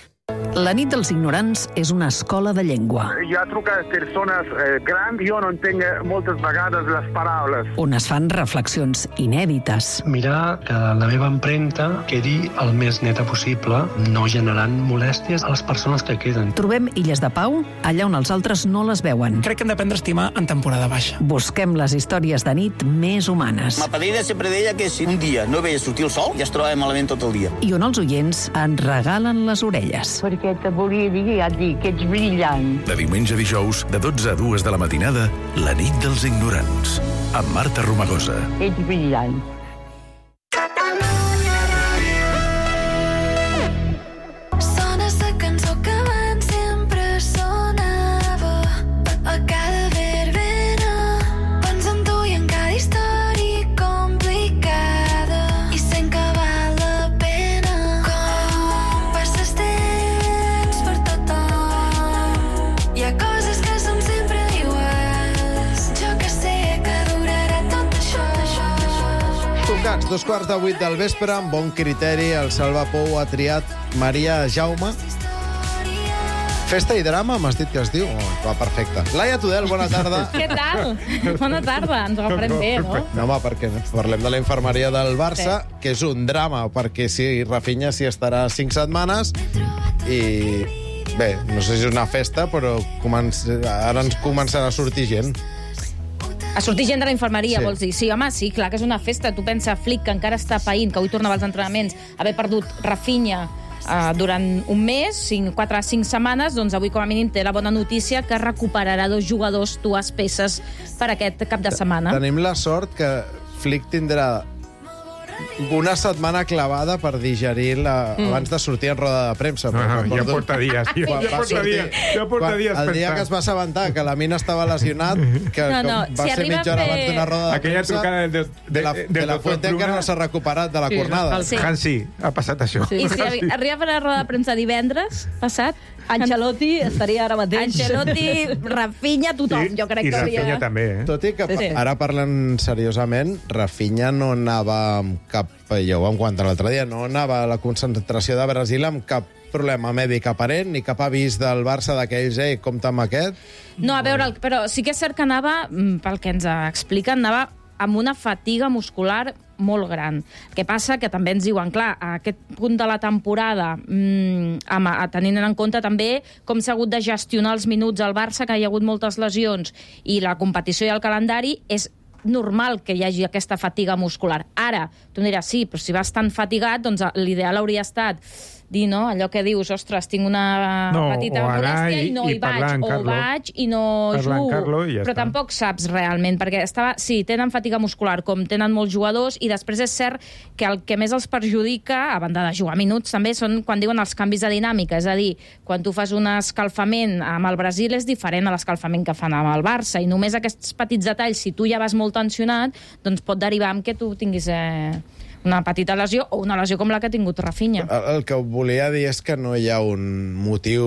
La nit dels ignorants és una escola de llengua. Jo truco a persones eh, grans, jo no entenc moltes vegades les paraules. On es fan reflexions inèdites. Mirar que la meva empremta quedi el més neta possible, no generant molèsties a les persones que queden. Trobem illes de pau allà on els altres no les veuen. Crec que hem d'aprendre a estimar en temporada baixa. Busquem les històries de nit més humanes. Ma padrina sempre deia que si un dia no veia sortir el sol, ja es trobava malament tot el dia. I on els oients ens regalen les orelles. Perquè te volia dir, ja et dic, que ets brillant. De diumenge a dijous, de dotze a dues de la matinada, la nit dels ignorants, amb Marta Romagosa. Ets brillant. Sona sa cançó que abans sempre sonava a cada verbena. Penso en tu i en cada història complicada i sent que val la pena. Com passes temps per tothom. Hi ha coses que són sempre iguals. Jo que sé que durarà tot això. Tocats, dos quarts de vuit del vespre, amb bon criteri, el Salva Pou ha triat Maria Jaume. Festa i drama, m'has dit que es diu? Oh, va, perfecte. Laia Tudel, bona tarda. Què tal? Bona tarda, ens ho agafem bé, no? No, home, perquè parlem de la infermeria del Barça, sí. que és un drama, perquè si Rafinha s'hi estarà cinc setmanes i... Bé, no sé si és una festa, però comença... ara ens començarà a sortir gent. A sortir gent de la infermeria, Sí. sí. vols dir? Sí, home, sí, clar que és una festa. Tu pensa, Flick, que encara està païnt, que avui tornava als entrenaments, haver perdut Rafinha uh, durant un mes, cinc, quatre a cinc setmanes, doncs avui com a mínim té la bona notícia que recuperarà dos jugadors, dues peces per aquest cap de setmana. Tenim la sort que Flick tindrà una setmana clavada per digerir la, mm. abans de sortir en roda de premsa. Ah, ja porta dies. Ja, ja porta sortir, dies. Ja porta quan, dies el dia que es va assabentar que la mina estava lesionat, que, no, no, que va si ser mitja hora fer... abans d'una roda de aquella premsa, trucada del, de, de, la, de, de la Fuente encara no s'ha recuperat de la sí, cornada. Sí. Hansi, ha passat això. Sí. I si sí. arriba a fer la roda de premsa divendres passat, Ancelotti estaria ara mateix. Ancelotti, Rafinha, tothom, sí, jo crec i que Rafinha havia... també, eh? Tot i que sí. ara parlen seriosament, Rafinha no anava amb cap... Ja ho vam comentar l'altre dia, no anava a la concentració de Brasil amb cap problema mèdic aparent, ni cap avís del Barça d'aquells, eh, compta amb aquest. No, a veure, però sí que és cert que anava, pel que ens expliquen, anava amb una fatiga muscular molt gran. El que passa que també ens diuen, clar, a aquest punt de la temporada, mmm, amb, a, tenint en compte també com s'ha hagut de gestionar els minuts al Barça, que hi ha hagut moltes lesions, i la competició i el calendari, és normal que hi hagi aquesta fatiga muscular. Ara, tu em diràs, sí, però si vas tan fatigat, doncs l'ideal hauria estat dir, no?, allò que dius, ostres, tinc una no, petita molèstia i no hi vaig, o vaig i no jugo. Ja però està. Tampoc saps realment, perquè estava, sí, tenen fatiga muscular, com tenen molts jugadors, i després és cert que el que més els perjudica, a banda de jugar minuts, també són quan diuen els canvis de dinàmica, és a dir, quan tu fas un escalfament amb el Brasil és diferent a l'escalfament que fan amb el Barça, i només aquests petits detalls, si tu ja vas molt tensionat, doncs pot derivar en que tu tinguis... Eh, una petita lesió o una lesió com la que ha tingut Rafinha. El, el que volia dir és que no hi ha un motiu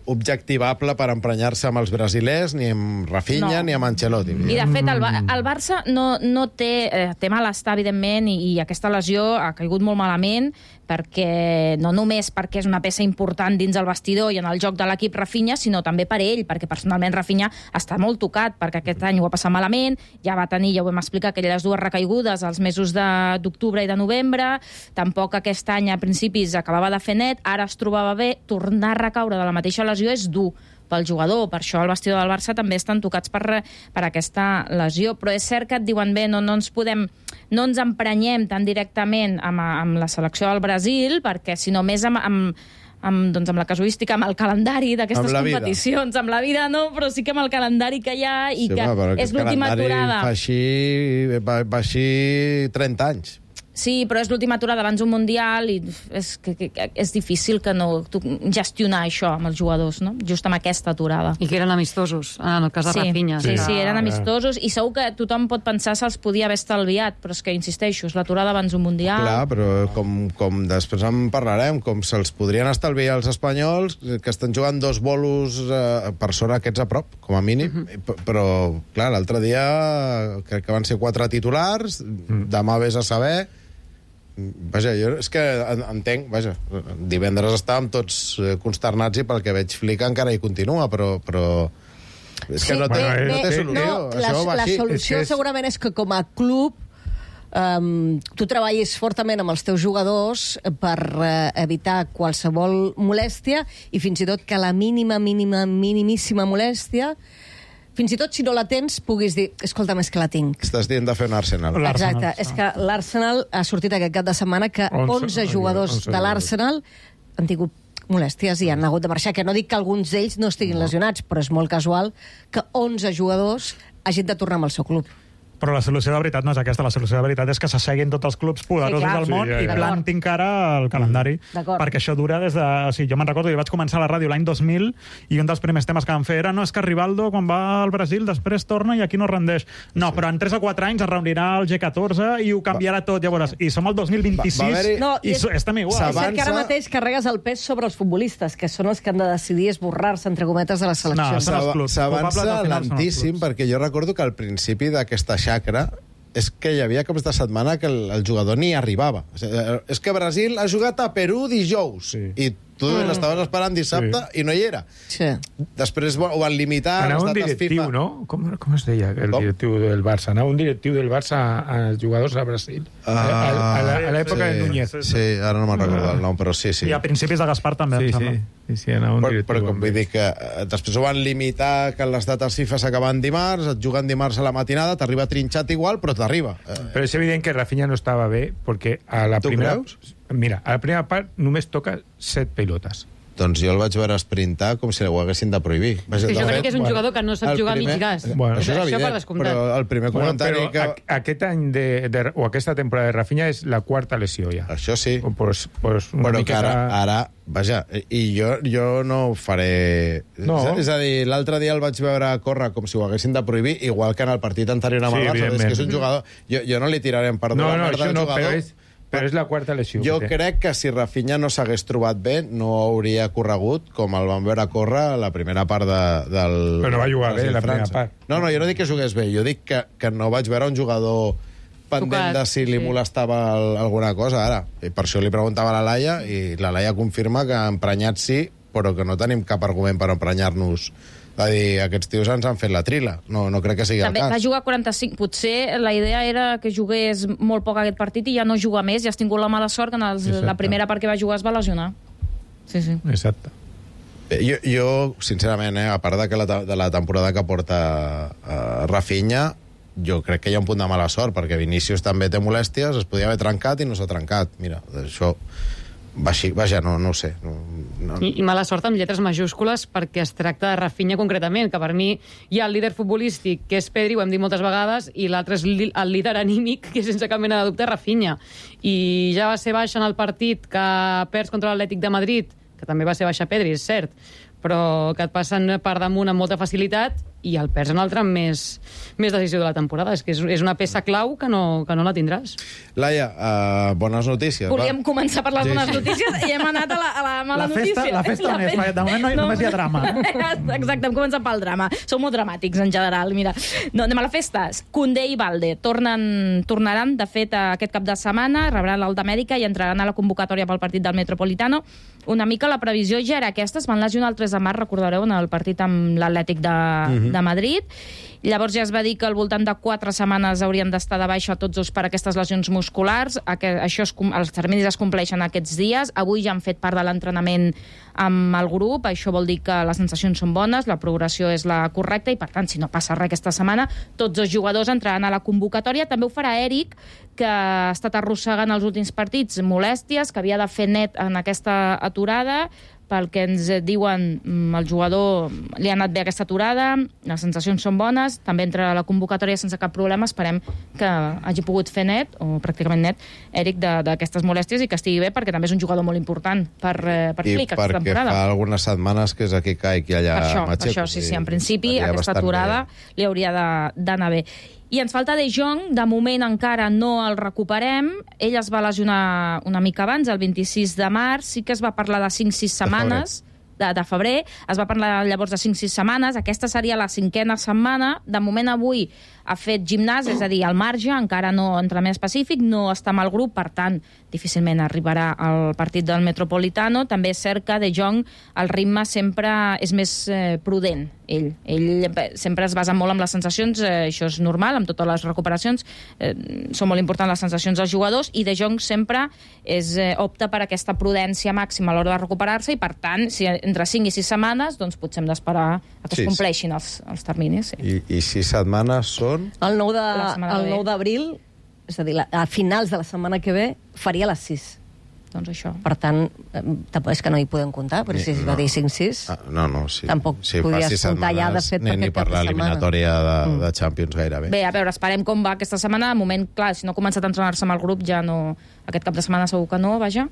objectivable per emprenyar-se amb els brasilers, ni amb Rafinha, no. ni amb Ancelotti. I, de fet, el, el Barça no, no té, eh, té malestar, evidentment, i, i aquesta lesió ha caigut molt malament, perquè no només perquè és una peça important dins el vestidor i en el joc de l'equip Rafinha, sinó també per ell, perquè personalment Rafinha està molt tocat, perquè aquest any ho ha passat malament, ja va tenir, ja ho vam explicar, aquelles dues recaigudes als mesos d'octubre i de novembre, tampoc aquest any a principis acabava de fer net, ara es trobava bé, tornar a recaure de la mateixa lesió és dur pel jugador, per això el vestidor del Barça també estan tocats per, per aquesta lesió, però és cert que et diuen bé, no, no ens podem, no ens emprenyem tan directament amb, amb la selecció del Brasil, perquè sinó més amb, amb, amb, doncs amb la casuística, amb el calendari d'aquestes competicions, amb la vida no, però sí que amb el calendari que hi ha i sí, que va, és l'última aturada. Fa així, va, va així trenta anys. Sí, però és l'última aturada abans d'un Mundial i és, que, que, que és difícil que no tu, gestionar això amb els jugadors, no? Just amb aquesta aturada. I que eren amistosos, en el cas de sí, Rafinha. Sí, sí, sí, eren amistosos i segur que tothom pot pensar se'ls podia haver estalviat, però és que, insisteixo, és l'aturada abans d'un Mundial. Clar, però com, com després en parlarem, com se'ls podrien estalviar els espanyols, que estan jugant dos bolos eh, per sort aquests a prop, com a mínim, uh -huh. però, clar, l'altre dia crec que van ser quatre titulars, mm. demà vés a saber... Vaja, jo és que entenc, vaja, divendres estàvem tots consternats i pel que veig Flick encara hi continua, però, però és que sí, no, té, bé, no té solució. No, Això la, va la solució és que segurament és que com a club um, tu treballis fortament amb els teus jugadors per uh, evitar qualsevol molèstia i fins i tot que la mínima, mínima, minimíssima molèstia fins i tot si no la tens, puguis dir escolta, més que la tinc. Estàs dient de fer un Arsenal. Exacte, és que l'Arsenal ha sortit aquest cap de setmana que onze jugadors de l'Arsenal han tingut molèsties i han hagut de marxar, que no dic que alguns d'ells no estiguin lesionats, però és molt casual que onze jugadors hagin de tornar amb el seu club. Però la solució de veritat no és aquesta. La solució de veritat és que s'asseguin tots els clubs poderosos sí, del món sí, ja, ja. i plantin cara al calendari. Mm. Perquè això dura des de... O sigui, jo me'n recordo, jo vaig començar a la ràdio l'any dos mil i un dels primers temes que vam fer era no, és que Rivaldo, quan va al Brasil, després torna i aquí no rendeix. No, sí. però en tres o quatre anys es reunirà el G catorze i ho canviarà tot, llavors. I som el dos mil vint-i-sis va, va no, i, i estem igual. És que ara mateix carregues el pes sobre els futbolistes, que són els que han de decidir esborrar-se, entre cometes, de les seleccions. No, s'avança lentíssim, perquè jo recordo que al principi d'aquesta xacra és que hi havia cops de setmana que el, el jugador ni arribava. O sigui, és que Brasil ha jugat a Perú dijous, sí. i tu mm. l'estaves esperant dissabte sí. i no hi era. Sí. Després ho van limitar. Anava un directiu, FIFA. No? Com, com es deia el com? directiu del Barça? Anava un directiu del Barça als jugadors a Brasil. Uh, a l'època sí, de Núñez. Sí, ara no me'n recordo el nom, però sí, sí. I a principis de Gaspar també, sí, em sembla. Sí. Sí, sí, anava un però, però com vull dir que eh, després ho van limitar, que les dates FIFA s'acaben dimarts, et juguen dimarts a la matinada, t'arriba trinxat igual, però t'arriba. Eh, però és evident que Rafinha no estava bé, perquè a la tu primera... creus? Mira, a la primera part només toca set pilotes. doncs jo el vaig veure esprintar com si ho haguessin de prohibir. Vaja, sí, jo crec que és un bueno, jugador que no sap jugar primer, mig gas. Bueno, això és això evident, per descomptat. Però el primer bueno, comentari però que... aquest any de, de, o aquesta temporada de Rafinha és la quarta lesió ja. Això sí. Pues, pues una però miqueta... que ara, ara, vaja, i jo, jo no ho faré... No. És, és a dir, l'altre dia el vaig veure córrer com si ho haguessin de prohibir, igual que en el partit anterior amb sí, el Barça, és que és un jugador... Jo, jo no li tiraré en perdó no, la no, merda al no, jugador... Però és... Però és la quarta lesió. Jo crec que si Rafinha no s'hagués trobat bé, no hauria corregut com el van veure córrer la primera part de, del... Però no va jugar bé la primera part. No, no, jo no dic que jugués bé, jo dic que, que no vaig veure un jugador pendent de si li sí. molestava el, alguna cosa, ara. I per això li preguntava a la Laia, i la Laia confirma que emprenyats sí, però que no tenim cap argument per emprenyar-nos. Va dir, aquests tios ens han fet la trila. No, no crec que sigui També el cas. va jugar quaranta-cinc. Potser la idea era que jugués molt poc aquest partit i ja no juga més. Ja has tingut la mala sort que en els, la primera part que va jugar es va lesionar. Sí, sí. Exacte. Jo, jo sincerament, eh, a part de, que la, de la temporada que porta uh, Rafinha, jo crec que hi ha un punt de mala sort, perquè Vinícius també té molèsties, es podia haver trencat i no s'ha trencat. Mira, això... Vaja, vaja, no, no ho sé. No, no. I, I mala sort amb lletres majúscules perquè es tracta de Rafinha concretament, que per mi hi ha el líder futbolístic, que és Pedri, ho hem dit moltes vegades, i l'altre és el líder anímic, que sense cap mena de dubte Rafinha. I ja va ser baixa en el partit que perds contra l'Atlètic de Madrid, que també va ser baixa Pedri, és cert, però que et passen per damunt amb molta facilitat i el perds en el tram més, més decisiu de la temporada. És que és, és una peça clau que no, que no la tindràs. Laia, uh, bones notícies. Volíem va. començar per les bones sí, sí. notícies i hem anat a la, a la mala la festa, notícia. La festa on és? Fe... De moment no, no. només hi ha drama. Exacte, hem començat pel drama. Som molt dramàtics, en general. Mira, no, anem a la festa. Koundé i Balde tornen, tornaran, de fet, aquest cap de setmana, rebran l'Alta Amèrica i entraran a la convocatòria pel partit del Metropolitano. Una mica la previsió ja era aquesta, es van lesionar el tres de març, recordareu, en el partit amb l'Atlètic de, uh-huh. de Madrid. Llavors ja es va dir que al voltant de quatre setmanes haurien d'estar de baixa tots dos per aquestes lesions musculars. Això es, els terminis es compleixen aquests dies. Avui ja han fet part de l'entrenament amb el grup. Això vol dir que les sensacions són bones, la progressió és la correcta i, per tant, si no passa res aquesta setmana, tots els jugadors entraran a la convocatòria. També ho farà Eric, que ha estat arrossegant els últims partits molèsties, que havia de fer net en aquesta aturada. Pel que ens diuen, el jugador li ha anat bé aquesta aturada, les sensacions són bones, també entra a la convocatòria sense cap problema. Esperem que hagi pogut fer net, o pràcticament net, Eric, d'aquestes molèsties i que estigui bé, perquè també és un jugador molt important per, per Flick aquesta temporada. I perquè fa algunes setmanes que és aquí caic i allà per això, Macheco. Per això, sí, sí, en principi aquesta aturada bé. Li hauria d'anar bé. I ens falta De Jong, de moment encara no el recuperem. Ell es va lesionar una mica abans, el vint-i-sis de març, sí que es va parlar de cinc sis setmanes, de, de febrer, es va parlar llavors de cinc sis setmanes, aquesta seria la cinquena setmana. De moment avui ha fet gimnàs, és a dir, al marge, encara no entrenament específic, no està amb el grup, per tant, difícilment arribarà al partit del Metropolitano. També és cert que De Jong, el ritme sempre és més eh, prudent. Ell. Ell sempre es basa molt en les sensacions, eh, això és normal, amb totes les recuperacions, eh, són molt importants les sensacions dels jugadors, i De Jong sempre és, eh, opta per aquesta prudència màxima a l'hora de recuperar-se, i per tant, si entre cinc i sis setmanes, doncs potser hem d'esperar a que es compleixin els, els terminis. Sí. I, I sis setmanes són? El nou d'abril, és a dir, a finals de la setmana que ve, faria les sis. Doncs això. Per tant, tampoc és que no hi podem comptar, però si es va dir cinc sis, ah, no, no, sí. tampoc sí, podies comptar ja, de fet, ni, per ni per l'eliminatòria de, mm. de Champions gairebé. Bé, a veure, esperem com va aquesta setmana. De moment, clar, si no ha començat a entrenar-se amb el grup, ja no... Aquest cap de setmana segur que no, vaja.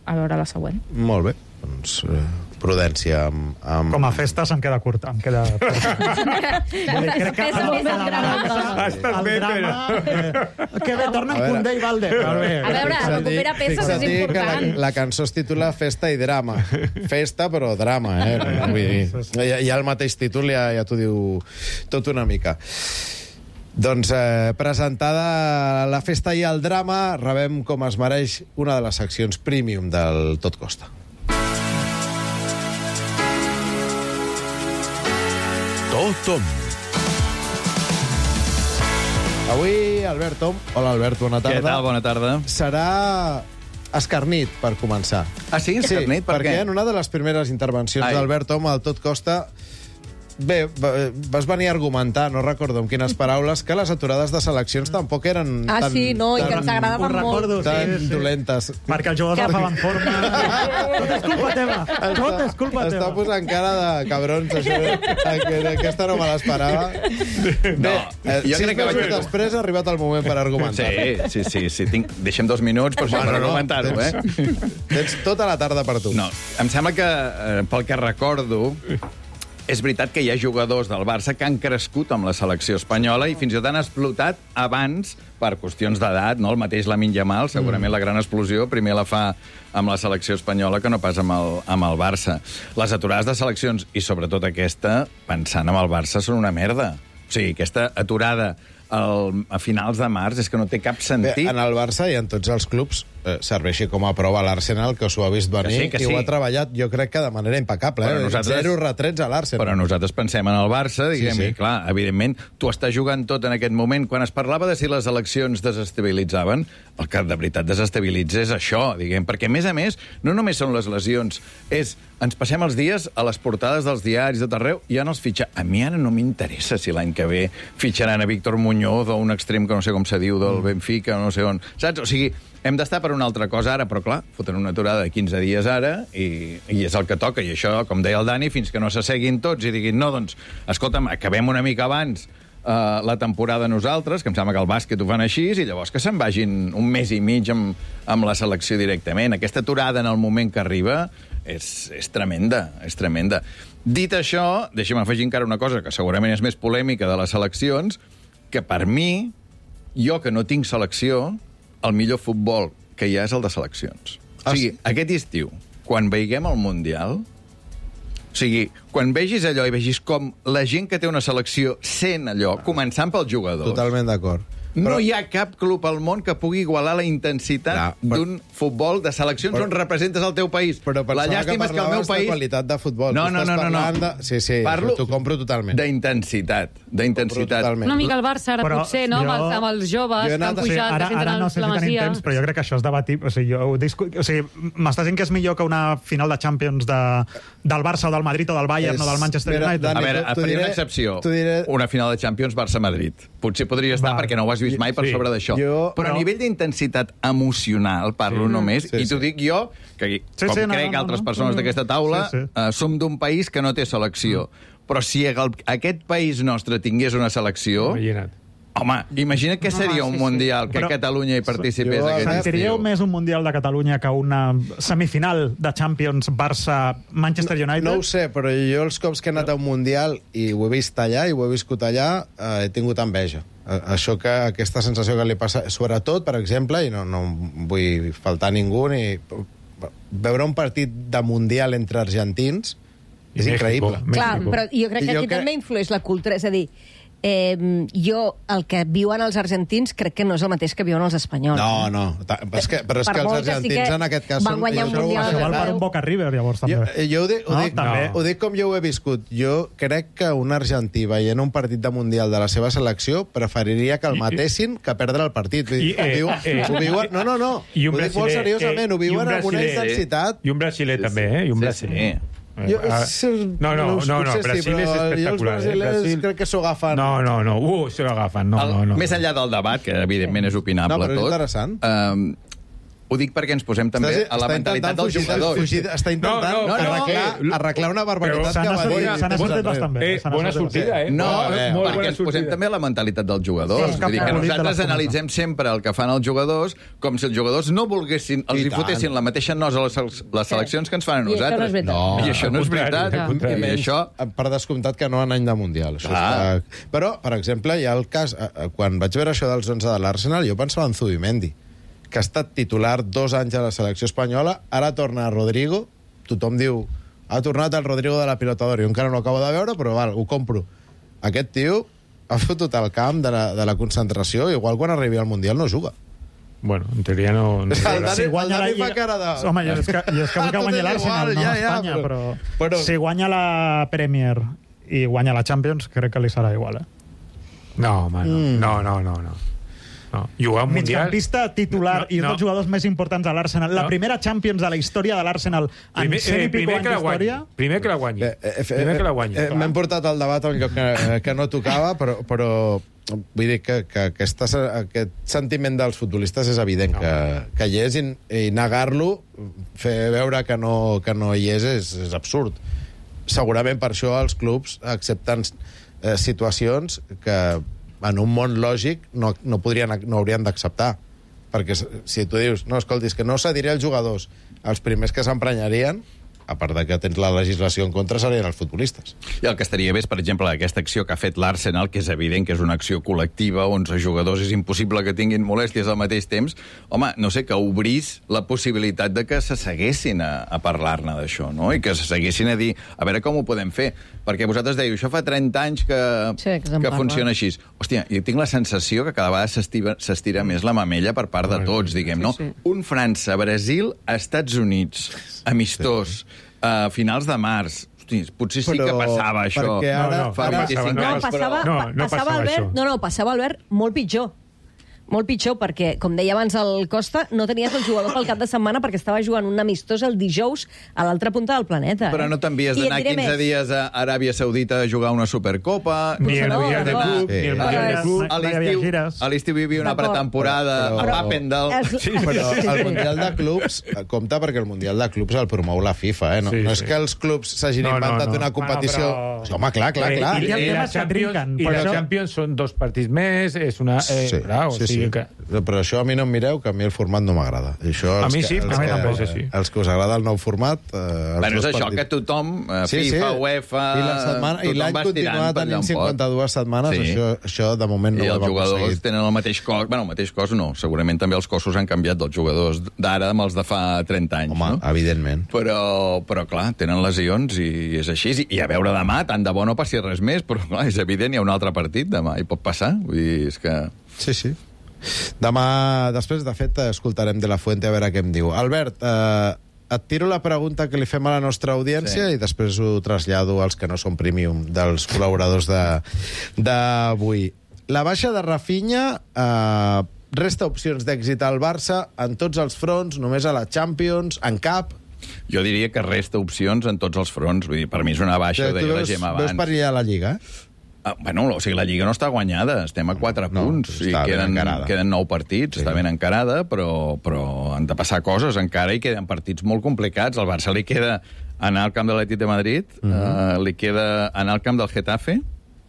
A veure la següent. Molt bé. Doncs eh, prudència amb, amb... Com a festa se'm queda curta, em queda curta. Crec que el drama... Que bé, tornen Koundé i Balde. A veure, recuperar peces és important. La, la cançó es titula Festa i Drama. Festa, però drama, eh? Vull dir, ja, ja el mateix títol ja, ja t'ho diu tot una mica. Doncs eh, presentada la festa i el drama, rebem com es mereix una de les seccions premium del Tot Costa. Tot Tom. Avui, Albert Tom. Hola, Albert, bona tarda. Què tal? Bona tarda. Serà escarnit, per començar. Ah, sí? Escarnit? Sí, per perquè què? en una de les primeres intervencions d'Albert Tom al Tot Costa Bé, vas venir a argumentar, no recordo amb quines paraules, que les aturades de seleccions tampoc eren ah, tan... sí, no, i que ens agradaven molt. Recordo, tan sí, sí. dolentes. Perquè els jugadors agafaven forma. Tot és culpa teva. Tot és culpa teva. Està posant cara de cabrons, això. Aquesta no me l'esperava. No, Bé, jo crec que vaig... després ha arribat el moment per argumentar. Sí, sí, sí. sí. Tinc... Deixem dos minuts per, per argumentar-ho, eh? Tens tota la tarda per tu. No, em sembla que, eh, pel que recordo, és veritat que hi ha jugadors del Barça que han crescut amb la selecció espanyola i fins i tot han explotat abans per qüestions d'edat, no? El mateix Lamine Yamal, segurament mm. la gran explosió, primer la fa amb la selecció espanyola que no pas amb el, amb el Barça. Les aturades de seleccions, i sobretot aquesta, pensant en el Barça, són una merda. O sigui, aquesta aturada el, a finals de març és que no té cap sentit. Bé, en el Barça i en tots els clubs eh, serveixi com a prova l'Arsenal, que s'ho ha vist venir que sí, que i sí. ho ha treballat, jo crec que de manera impecable. Eh? Nosaltres... Zero retrets a l'Arsenal. Però nosaltres pensem en el Barça, diguem, sí, sí. i clar, evidentment, tu estàs jugant tot en aquest moment. Quan es parlava de si les eleccions desestabilitzaven, el que de veritat desestabilitza és això, diguem, perquè, a més a més, no només són les lesions, és ens passem els dies a les portades dels diaris de tot arreu i ja no els fitxa. A mi ara no m'interessa si l'any que ve fitxaran a Víctor Muñoz o un extrem que no sé com se diu del Benfica, no sé on. Saps? O sigui, hem d'estar per una altra cosa ara, però clar, foten una aturada de quinze dies ara i, i és el que toca. I això, com deia el Dani, fins que no s'asseguin tots i diguin, no, doncs, escolta'm, acabem una mica abans uh, la temporada nosaltres, que em sembla que el bàsquet ho fan així, i llavors que se'n vagin un mes i mig amb, amb la selecció directament. Aquesta aturada en el moment que arriba és, és tremenda, és tremenda. Dit això, deixa'm afegir encara una cosa que segurament és més polèmica de les seleccions, que per mi, jo que no tinc selecció, el millor futbol que hi ha és el de seleccions. O sigui, aquest estiu, quan veiguem el Mundial, o sigui, quan vegis allò i vegis com la gent que té una selecció sent allò, començant pels jugadors... Totalment d'acord. No però... hi ha cap club al món que pugui igualar la intensitat no, però... d'un futbol de seleccions però... on representes el teu país. Però la llàstima és que el meu país... de qualitat de futbol. No, no, no, no, no. De... Sí, sí, parlo t'ho compro totalment. D'intensitat, d'intensitat. Una mica el Barça ara però potser, no? Jo... Amb, els, amb els joves que han pujat, sí, ara, que ara no sé si tenim temps, però jo crec que això és debatir. O sigui, jo discu... o sigui, m'estàs dient que és millor que una final de Champions de... del Barça o del Madrid o del Bayern és... o del Manchester Mira, United? Dani, a veure, faria una excepció. Diré... Una final de Champions Barça-Madrid. Potser podria estar Va. perquè no ho has vist mai per sí. sobre d'això. Jo, però, però a nivell d'intensitat emocional, parlo sí, només, sí, i t'ho sí. dic jo, que sí, com sí, crec no, no, altres no, persones no, d'aquesta taula, sí, sí. Uh, som d'un país que no té selecció. Mm. Però si el, aquest país nostre tingués una selecció... Imagina't. Home, imagina't què seria un mundial que però, Catalunya hi participés jo, aquest estiu. Sentiríeu més un mundial de Catalunya que una semifinal de Champions Barça-Manchester United? No, no ho sé, però jo els cops que he anat a un mundial i ho he vist allà i ho he viscut allà, eh, he tingut enveja. Això que aquesta sensació que li passa, sobretot, per exemple, i no, no vull faltar a ningú, ni veure un partit de mundial entre argentins és México, increïble. México. Clar, però jo crec que aquí jo també que... influeix la cultura, és a dir, Eh, jo, el que viuen els argentins crec que no és el mateix que viuen els espanyols. No, no, és que, però és que els argentins que en aquest cas van guanyar un mundial. Això val per un Boca River, llavors, també. Jo, jo ho, dic, ho, no, dic, també. ho dic com jo ho he viscut. Jo crec que un argentí veient un partit de mundial de la seva selecció preferiria que el matessin que perdre el partit. I, eh, viu, eh, ho viuen, no, no, no. I ho dic molt seriosament, ho viuen amb una intensitat. I un brasiler també, eh? I un brasiler. Jo, no, no, no, no, Brasil sí, és espectacular. Els brasilers eh? crec que s'ho agafen. No, no, no, uh, s'ho agafen. No, el, no, no. Més enllà del debat, que evidentment és opinable no, però és tot. Interessant. Um, ho dic perquè ens posem també Estàs, a la mentalitat dels jugadors. Fugir, està intentant no, no, arreglar, no, arreglar una barbaritat que va dir. S'han sortit bastant bé. Eh, bona sortida, eh? No, eh, perquè ens posem també a la mentalitat dels jugadors. Sí, Vull dir que nosaltres analitzem sempre el que fan els jugadors com si els jugadors no volguessin, els hi fotessin la mateixa nos a les, les seleccions que ens fan a nosaltres. I això no és veritat. I això... Per descomptat que no en any de Mundial. Però, per exemple, hi ha el cas... Quan vaig veure això dels onze de l'Arsenal, jo pensava en Zubimendi, que ha estat titular dos anys a la selecció espanyola, ara torna a Rodrigo, tothom diu, ha tornat el Rodrigo de la Pilota d'Or, jo encara no ho acabo de veure, però val, ho compro. Aquest tio ha fotut el camp de la, de la concentració, igual quan arribi al Mundial no juga. Bueno, en teoria no... no el Dani, si guanya el Dani la... fa cara de... Home, jo és que, jo és que vull que guanyi l'Arsenal, no ja, Espanya, ja, però... però... Si guanya la Premier i guanya la Champions, crec que li serà igual, eh? No, home, no. Mm. No, no, no, no. No. Jugar un mundial... Migcampista titular no, i no. dels jugadors més importants a l'Arsenal. La no. primera Champions de la història de l'Arsenal en primer, cent eh, i pico anys d'història. Primer que la guanyi. Eh, eh, primer que la guanyi. Eh, eh, M'hem portat el debat a un lloc que, que no tocava, però, però vull dir que, que aquesta, aquest sentiment dels futbolistes és evident no. que, que hi és, i, i negar-lo, fer veure que no, que no hi és, és, és absurd. Segurament per això els clubs accepten eh, situacions que en un món lògic no, no, podrien, no haurien d'acceptar. Perquè si tu dius, no, escolti, és que no cediré els jugadors, els primers que s'emprenyarien, a part de que tens la legislació en contra, serien els futbolistes. I el que estaria bé és, per exemple, aquesta acció que ha fet l'Arsenal, que és evident que és una acció col·lectiva, onze jugadors, és impossible que tinguin molèsties al mateix temps. Home, no sé, que obrís la possibilitat de que se seguessin a, a parlar-ne d'això, no? I que se seguessin a dir, a veure com ho podem fer. Perquè vosaltres dèieu, això fa trenta anys que, sí, que, que funciona així. Hòstia, jo tinc la sensació que cada vegada s'estira més la mamella per part de tots, diguem, no? Sí, sí. Un França-Brasil a Estats Units, amistós, sí. a finals de març. Hosti, potser sí però, que passava això. Ara, no, no, fa vint-i-cinc no, anys, passava, però... no, no passava, passava Albert, no, no, passava, Albert, molt pitjor. Molt pitjor, perquè, com deia abans el Costa, no tenies el jugador pel cap de setmana perquè estava jugant un amistós el dijous a l'altra punta del planeta. Però no t'envies d'anar quinze més. dies a Aràbia Saudita a jugar una Supercopa. Ni el Mundial de Club, ni el Mundial de Club. A l'estiu hi havia una pretemporada a Papendal. Però el Mundial de Clubs compta perquè el Mundial de Clubs el promou la FIFA, eh? No, sí, no és sí. que els clubs s'hagin no, inventat no, no. una competició... Ah, però... Home, clar, clar, clar. I, i, i la Champions, i la Champions són dos partits més, és una... Eh, sí, clar, sí, sí. Sí. Que... Però això a mi no em mireu, que a mi el format no m'agrada. A mi sí, a mi tampoc, sí. Els que us agrada el nou format... Eh, bueno, és això, que tothom, eh, sí, FIFA, sí. UEFA... I l'any continua tenint cinquanta-dues setmanes, sí. això, això de moment no I ho hem aconseguit. I els jugadors tenen el mateix cos... Bueno, el mateix cos no, segurament també els cossos han canviat dels jugadors d'ara amb els de fa trenta anys. Home, no? evidentment. Però, però, clar, tenen lesions i és així. I a veure demà, tant de bo no passi res més, però, clar, és evident, hi ha un altre partit demà, i pot passar. Vull dir, és que... Sí, sí. Demà, després, de fet, escoltarem de la Fuente a veure què em diu. Albert, eh, et tiro la pregunta que li fem a la nostra audiència sí. i després ho trasllado als que no són premium dels col·laboradors d'avui. La baixa de Rafinha eh, resta opcions d'èxit al Barça en tots els fronts, només a la Champions, en cap? Jo diria que resta opcions en tots els fronts. Vull dir, per mi és una baixa, ho deia la Gemma abans. Veus per allà a la Lliga, eh? Ah, bueno, o sigui, la Lliga no està guanyada, estem a quatre no, punts, i queden, queden nou partits, sí. està ben encarada, però, però han de passar coses encara i queden partits molt complicats. Al Barça li queda anar al camp de l'Atlètic de Madrid, uh -huh. uh, li queda anar al camp del Getafe.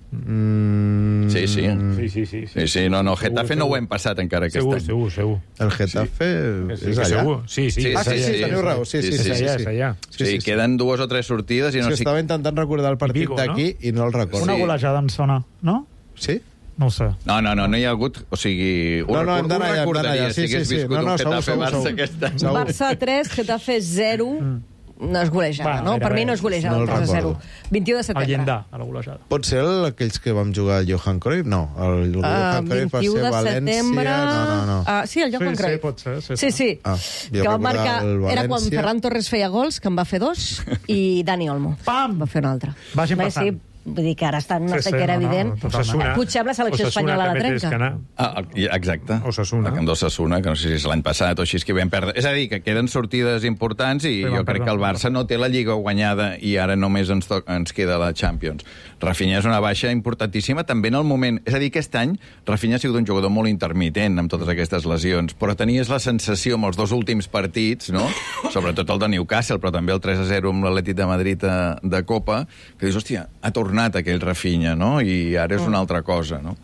Mm... Sí, sí. Sí, sí, sí. sí, sí no, no, Getafe segur, no ho hem passat encara aquest segur, any. Segur, segur, El Getafe sí. és allà? Segur. Sí, sí. Ah, sí, sí, teniu raó. Sí, sí, sí, sí, és allà, és allà. Sí, sí, sí, queden dues o tres sortides i no sí, sé... Estava intentant recordar el partit d'aquí no? i no el recordo. Una golejada em sona, no? Sí? No ho sé. No, no, no, no hi ha hagut... O sigui, ho, no, no, record, ho recordaria si hagués viscut no, no, un Getafe-Barça aquest any. Barça tres, Getafe zero... Mm. No és golejada, Va, no? Per mi no és golejada, no el tres a zero. vint-i-u de setembre. El llindar, a la golejada. Pot ser el, aquells que vam jugar al Johan Cruyff? No, el, el uh, Johan Cruyff va ser València... No, no, no. Uh, sí, el Johan sí, Cruyff. Sí, pot ser. Sí, sí. sí. Ah, que va marcar... Era quan Ferran Torres feia gols, que en va fer dos, i Dani Olmo. Pam! Va fer un altre. Vagin passant. Sí, vull dir que ara està en una sí, sequera sí, no, evident. No, no, potser amb la selecció espanyola la trenca. Ah, exacte. Osasuna. El camp d'Osasuna, que no sé si és l'any passat o així, que vam perdre. És a dir, que queden sortides importants i sí, jo crec que el Barça no té la Lliga guanyada i ara només ens, ens queda la Champions. Rafinha és una baixa importantíssima també en el moment... És a dir, aquest any Rafinha ha sigut un jugador molt intermitent amb totes aquestes lesions, però tenies la sensació amb els dos últims partits, no? Sobretot el de Newcastle, però també el tres a zero amb l'Atlètic de Madrid de, de Copa, que dius, hòstia, ha tornat aquell Rafinha, no? I ara és una altra cosa, no?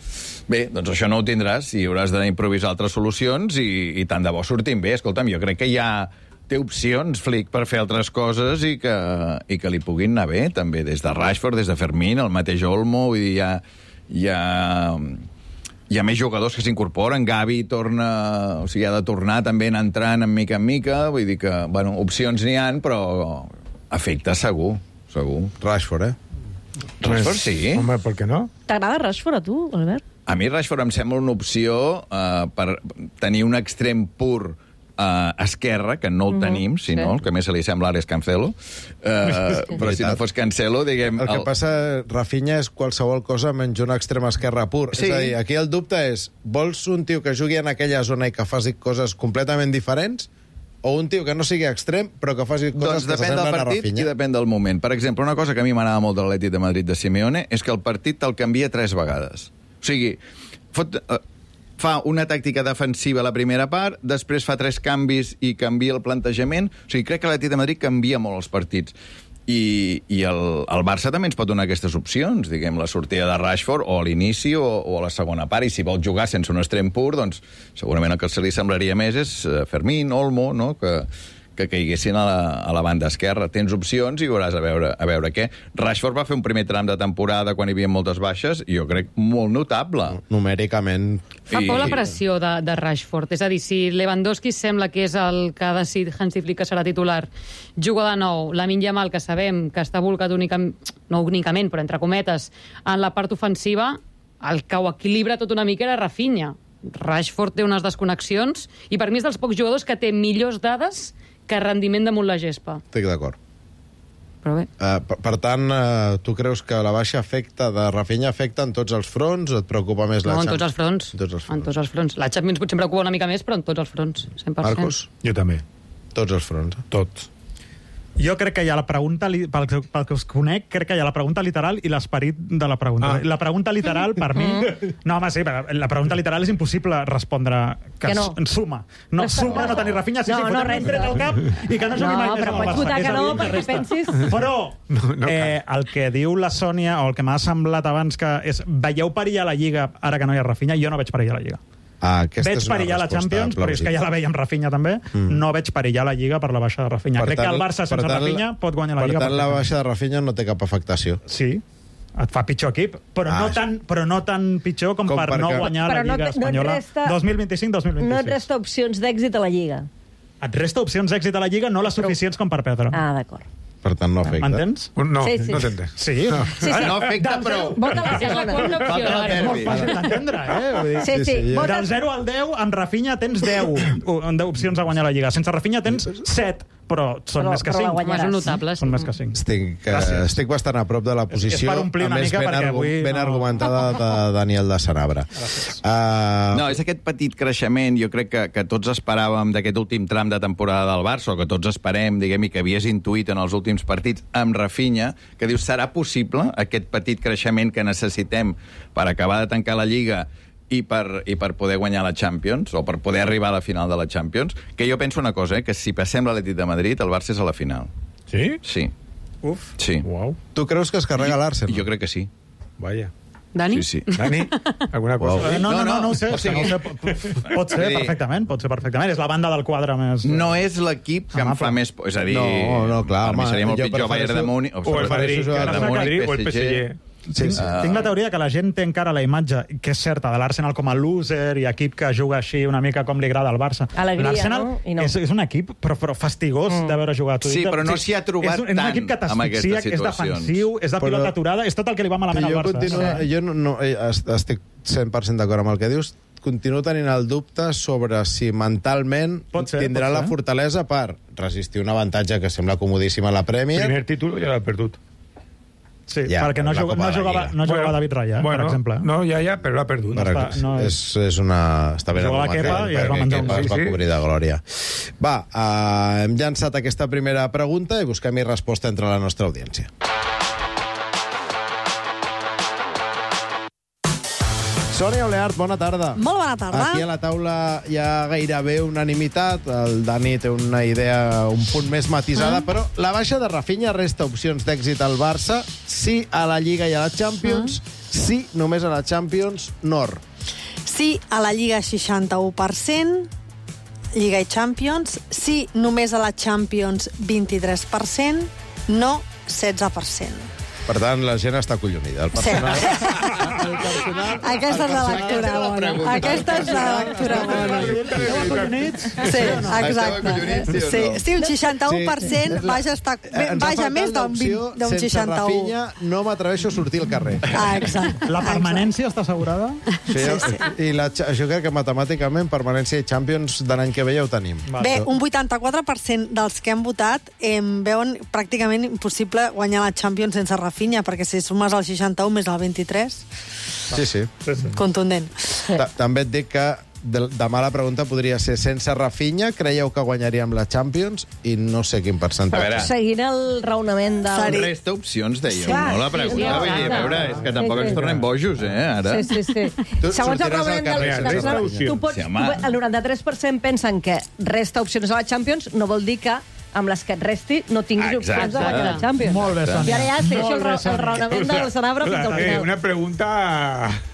Bé, doncs això no ho tindràs i hauràs d'improvisar altres solucions i, i tant de bo sortim bé. Escolta'm, jo crec que hi ha... té opcions, Flick, per fer altres coses i que, i que li puguin anar bé, també, des de Rashford, des de Fermín, el mateix Olmo, vull dir, hi ha... Hi ha hi ha més jugadors que s'incorporen, Gavi torna, o sigui, ha de tornar també entrant en mica en mica, vull dir que, bueno, opcions n'hi han, però efecte segur, segur. Rashford, eh? Rashford, sí. Home, per què no? T'agrada Rashford, a tu, Albert? A mi Rashford em sembla una opció eh, per tenir un extrem pur Uh, Esquerra, que no el tenim, mm-hmm, si no, sí. El que més se li sembla ara és Cancelo. Uh, però si no fos Cancelo, diguem... El que el... passa, Rafinha, és qualsevol cosa menys un extrem esquerra pur. Sí. És a dir, aquí el dubte és, vols un tio que jugui en aquella zona i que faci coses completament diferents, o un tio que no sigui extrem, però que faci coses doncs que s'assemblen a Rafinha? Depèn del partit i depèn del moment. Per exemple, una cosa que a mi m'anava molt de l'Atlètic de Madrid de Simeone és que el partit te'l canvia tres vegades. O sigui, fot... Uh, fa una tàctica defensiva a la primera part, després fa tres canvis i canvia el plantejament. O sigui, crec que l'Atlètic de Madrid canvia molt els partits. I, i el, el Barça també ens pot donar aquestes opcions, diguem, la sortida de Rashford o a l'inici o, o a la segona part, i si vol jugar sense un extrem pur, doncs segurament el que se li semblaria més és Fermín, Olmo, no?, que... que caiguessin a la, a la banda esquerra. Tens opcions i veuràs a veure, a veure què. Rashford va fer un primer tram de temporada quan hi havia moltes baixes, i jo crec molt notable. Numèricament. Fa por la pressió de, de Rashford. És a dir, si Lewandowski sembla que és el que ha decidit Hansi Flick que serà titular, juga de nou, Lamine Yamal, que sabem que està volcat únicament, no únicament, però entre cometes, en la part ofensiva, el que ho equilibra tot una mica era Rafinha. Rashford té unes desconnexions, i per mi és dels pocs jugadors que té millors dades que rendiment damunt la gespa. Estic d'acord. Però bé. Uh, per, per tant, uh, tu creus que la baixa afecta de Rafinha afecta en tots els fronts o et preocupa més la No, en Champions? tots els fronts. En tots els fronts. En tots els fronts. La Champions potser em preocupa una mica més, però en tots els fronts, cent per cent. Marcos? Jo també. Tots els fronts. Tots. Jo crec que hi ha la pregunta, pel que, pel que us conec, crec que hi ha la pregunta literal i l'esperit de la pregunta. Ah. La pregunta literal, per mi... No, home, sí, la pregunta literal és impossible respondre que, que no. suma. No, suma no tenir Rafinha, sí, no, sí, no, fotem un tret al cap i que no jugui no, mai més però amb el pots Barça. votar que no, perquè pensis... Però no, no eh, el que diu la Sònia, o el que m'ha semblat abans, que és veieu perillar la Lliga ara que no hi ha Rafinha, jo no veig perillar la Lliga. Ah, veig perillar la Champions, però és que ja la veiem Rafinha també, mm. no veig perillar la Lliga per la baixa de Rafinha. Per Crec tant, que el Barça sense tant, Rafinha pot guanyar la per Lliga. Per tant, la baixa de Rafinha no té cap afectació. Sí, et fa pitjor equip, però, ah, no, tan, però no tan pitjor com, com per no guanyar però la Lliga no, Espanyola no resta, dos mil vint-i-cinc dos mil vint-i-sis. No et resta opcions d'èxit a la Lliga. Et resta opcions d'èxit a la Lliga, no les suficients com per perdre. Ah, d'acord. Per tant, no afecta. M'entens? No, sí, sí. no t'entens. Sí, no. Sí, sí. No afecta prou. Vota la segona. És molt fàcil d'entendre, eh? Vull dir, sí, sí. sí. Del zero al deu, amb Rafinha tens deu opcions a guanyar la Lliga. Sense Rafinha tens set, però són però, més que cinc. Són notables. Són més que cinc. Estic, uh, estic bastant a prop de la posició, és, és per omplir una a més mica ben, perquè argu avui ben no... argumentada de Daniel de Sanabra. Uh... No, és aquest petit creixement, jo crec que, que tots esperàvem d'aquest últim tram de temporada del Barça, o que tots esperem, diguem, i que havies intuït en els últims partits amb Rafinha, que dius, serà possible aquest petit creixement que necessitem per acabar de tancar la Lliga i per, i per poder guanyar la Champions, o per poder arribar a la final de la Champions? Que jo penso una cosa, eh, que si passem l'Atlètic de Madrid, el Barça és a la final. Sí? Sí. Uf. Sí. Wow. Tu creus que es carrega l'Arsenal? Jo crec que sí. Vaya. Dani? Sí, sí. Dani, alguna cosa? Wow. No, no, no, no ho sé. O sigui, no ho sé. Pot ser perfectament, pot ser perfectament. És la banda del quadre més... No és l'equip que em fa més... És a dir, no, no, clar, per mi seria molt pitjor Bayern de Múnich... O el Madrid, o el P S G... Sí, sí. Uh... Tinc la teoria que la gent té encara la imatge, que és certa, de l'Arsenal com a loser i equip que juga així una mica com li agrada al Barça. L'Arsenal no? no. és, és un equip però, però fastigós mm. de veure jugar. Sí, però no s'hi ha trobat és, és un equip que t'asfixia, que és defensiu, és de però... pilota aturada, és tot el que li va malament al Barça. Continua, jo no, no, estic cent per cent d'acord amb el que dius, continuo tenint el dubte sobre si mentalment ser, tindrà la fortalesa per resistir un avantatge que sembla comodíssim a la Premier. Primer títol ja l'ha perdut. Sí, ja, perquè no, jugava, no, jugava, no jugava bueno, David Raya, bueno, per exemple. No, ja, ja, però l'ha perdut. No està, no és, és una... Està ben jugava Kepa i es va menjar un es va cobrir de glòria. Va, uh, hem llançat aquesta primera pregunta i busquem-hi resposta entre la nostra audiència. Sònia Oleart, bona tarda. Molt bona tarda. Aquí a la taula hi ha gairebé unanimitat. El Dani té una idea un punt més matisada, mm. però la baixa de Rafinha resta opcions d'èxit al Barça, sí a la Lliga i a la Champions, mm. sí només a la Champions, Nord. Sí a la Lliga, seixanta-u per cent, Lliga i Champions, sí només a la Champions, vint-i-tres per cent, no, setze per cent. Per tant, la gent està acollonida. El personal... Sí. Aquesta és la lectura bona. Aquesta és la lectura bona. Sí, exacte. Sí, sí, un seixanta-u per cent vaja, està, vaja més d'un seixanta-u. Sense Rafinha no m'atreveixo a sortir al carrer. Ah, exacte. La permanència està assegurada? Sí, sí. I la, jo crec que matemàticament permanència i Champions de l'any que ve ja ho tenim. Bé, un vuitanta-quatre per cent dels que han votat eh, veuen pràcticament impossible guanyar la Champions sense Rafinha, perquè si sumes el seixanta-u més el vint-i-tres... Sí, sí. Contundent. També et dic que de, demà la pregunta podria ser sense Rafinha, creieu que guanyaríem la Champions? I no sé quin percentatge. Seguint el raonament del... Resta opcions, dèiem, sí, no? La pregunta, sí, vull dir, a veure, és que tampoc sí, sí. ens tornem bojos, eh, ara. Sí, sí, sí. Tu segons el raonament del... del tu pots, sí, el noranta-tres per cent pensen que resta opcions a la Champions, no vol dir que amb les que et resti no tinguis opcions de guanyar la Champions. Molt bé, Sònia. I ara ja segueixo el, el raonament del Sanabra fins al final. Una pregunta...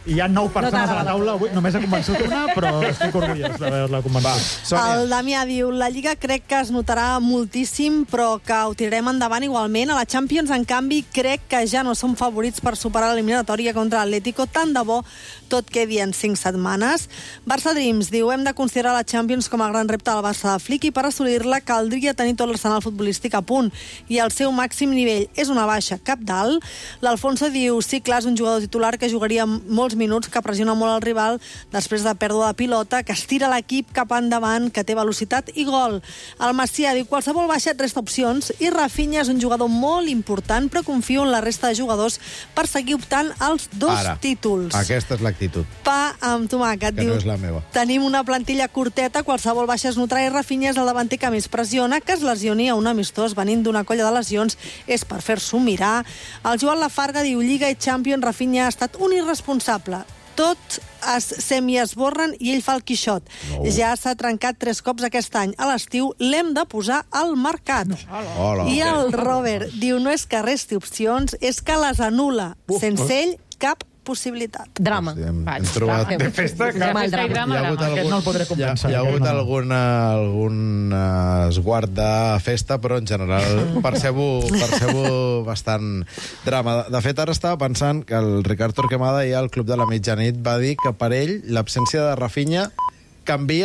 Hi ha nou persones a la taula avui, només he convençut una, però estic orgullós d'haver-la convençut. El Damià diu, la Lliga crec que es notarà moltíssim, però que ho tirarem endavant igualment. A la Champions, en canvi, crec que ja no som favorits per superar l'eliminatòria contra l'Atlético, tant de bo tot quedi en cinc setmanes. Barça Dreams diu, hem de considerar la Champions com a gran repte del Barça de Flick i per assolir-la caldria tenir tot l'arsenal futbolístic a punt i el seu màxim nivell és una baixa cap dalt. L'Alfonso diu, sí, clar, és un jugador titular que jugaria molts minuts, que pressiona molt el rival després de pèrdua de pilota, que estira l'equip cap endavant, que té velocitat i gol. El Macià diu, qualsevol baixa et resta opcions i Rafinha és un jugador molt important, però confio en la resta de jugadors per seguir optant als dos Ara, títols. Aquesta és l'actitud. Pa amb tomàquet. Que diu, no és la meva. Tenim una plantilla curteta, qualsevol baixa es notarà i Rafinha és el davanter que més pressiona, que es lesioni a un amistós venint d'una colla de lesions és per fer-s'ho mirar. El Joan Lafarga diu, Lliga i Champions, Rafinha ha estat un irresponsable. Tot es semi-esborren i ell fa el Quixot. No. Ja s'ha trencat tres cops aquest any. A l'estiu l'hem de posar al mercat. No. Hola. I el Robert diu, no és que resti opcions, és que les anul·la. Uf, sense ell, cap possibilitat. Drama. Hosti, hem, hem trobat... De festa, que... Festa i drama, drama. Aquest no el podré compensar. Hi ha, hi ha hagut alguna, algun uh, esguard de festa, però en general percebo, percebo bastant drama. De fet, ara estava pensant que el Ricard Torquemada, ja al Club de la Mitjanit, va dir que per ell l'absència de Rafinha canvia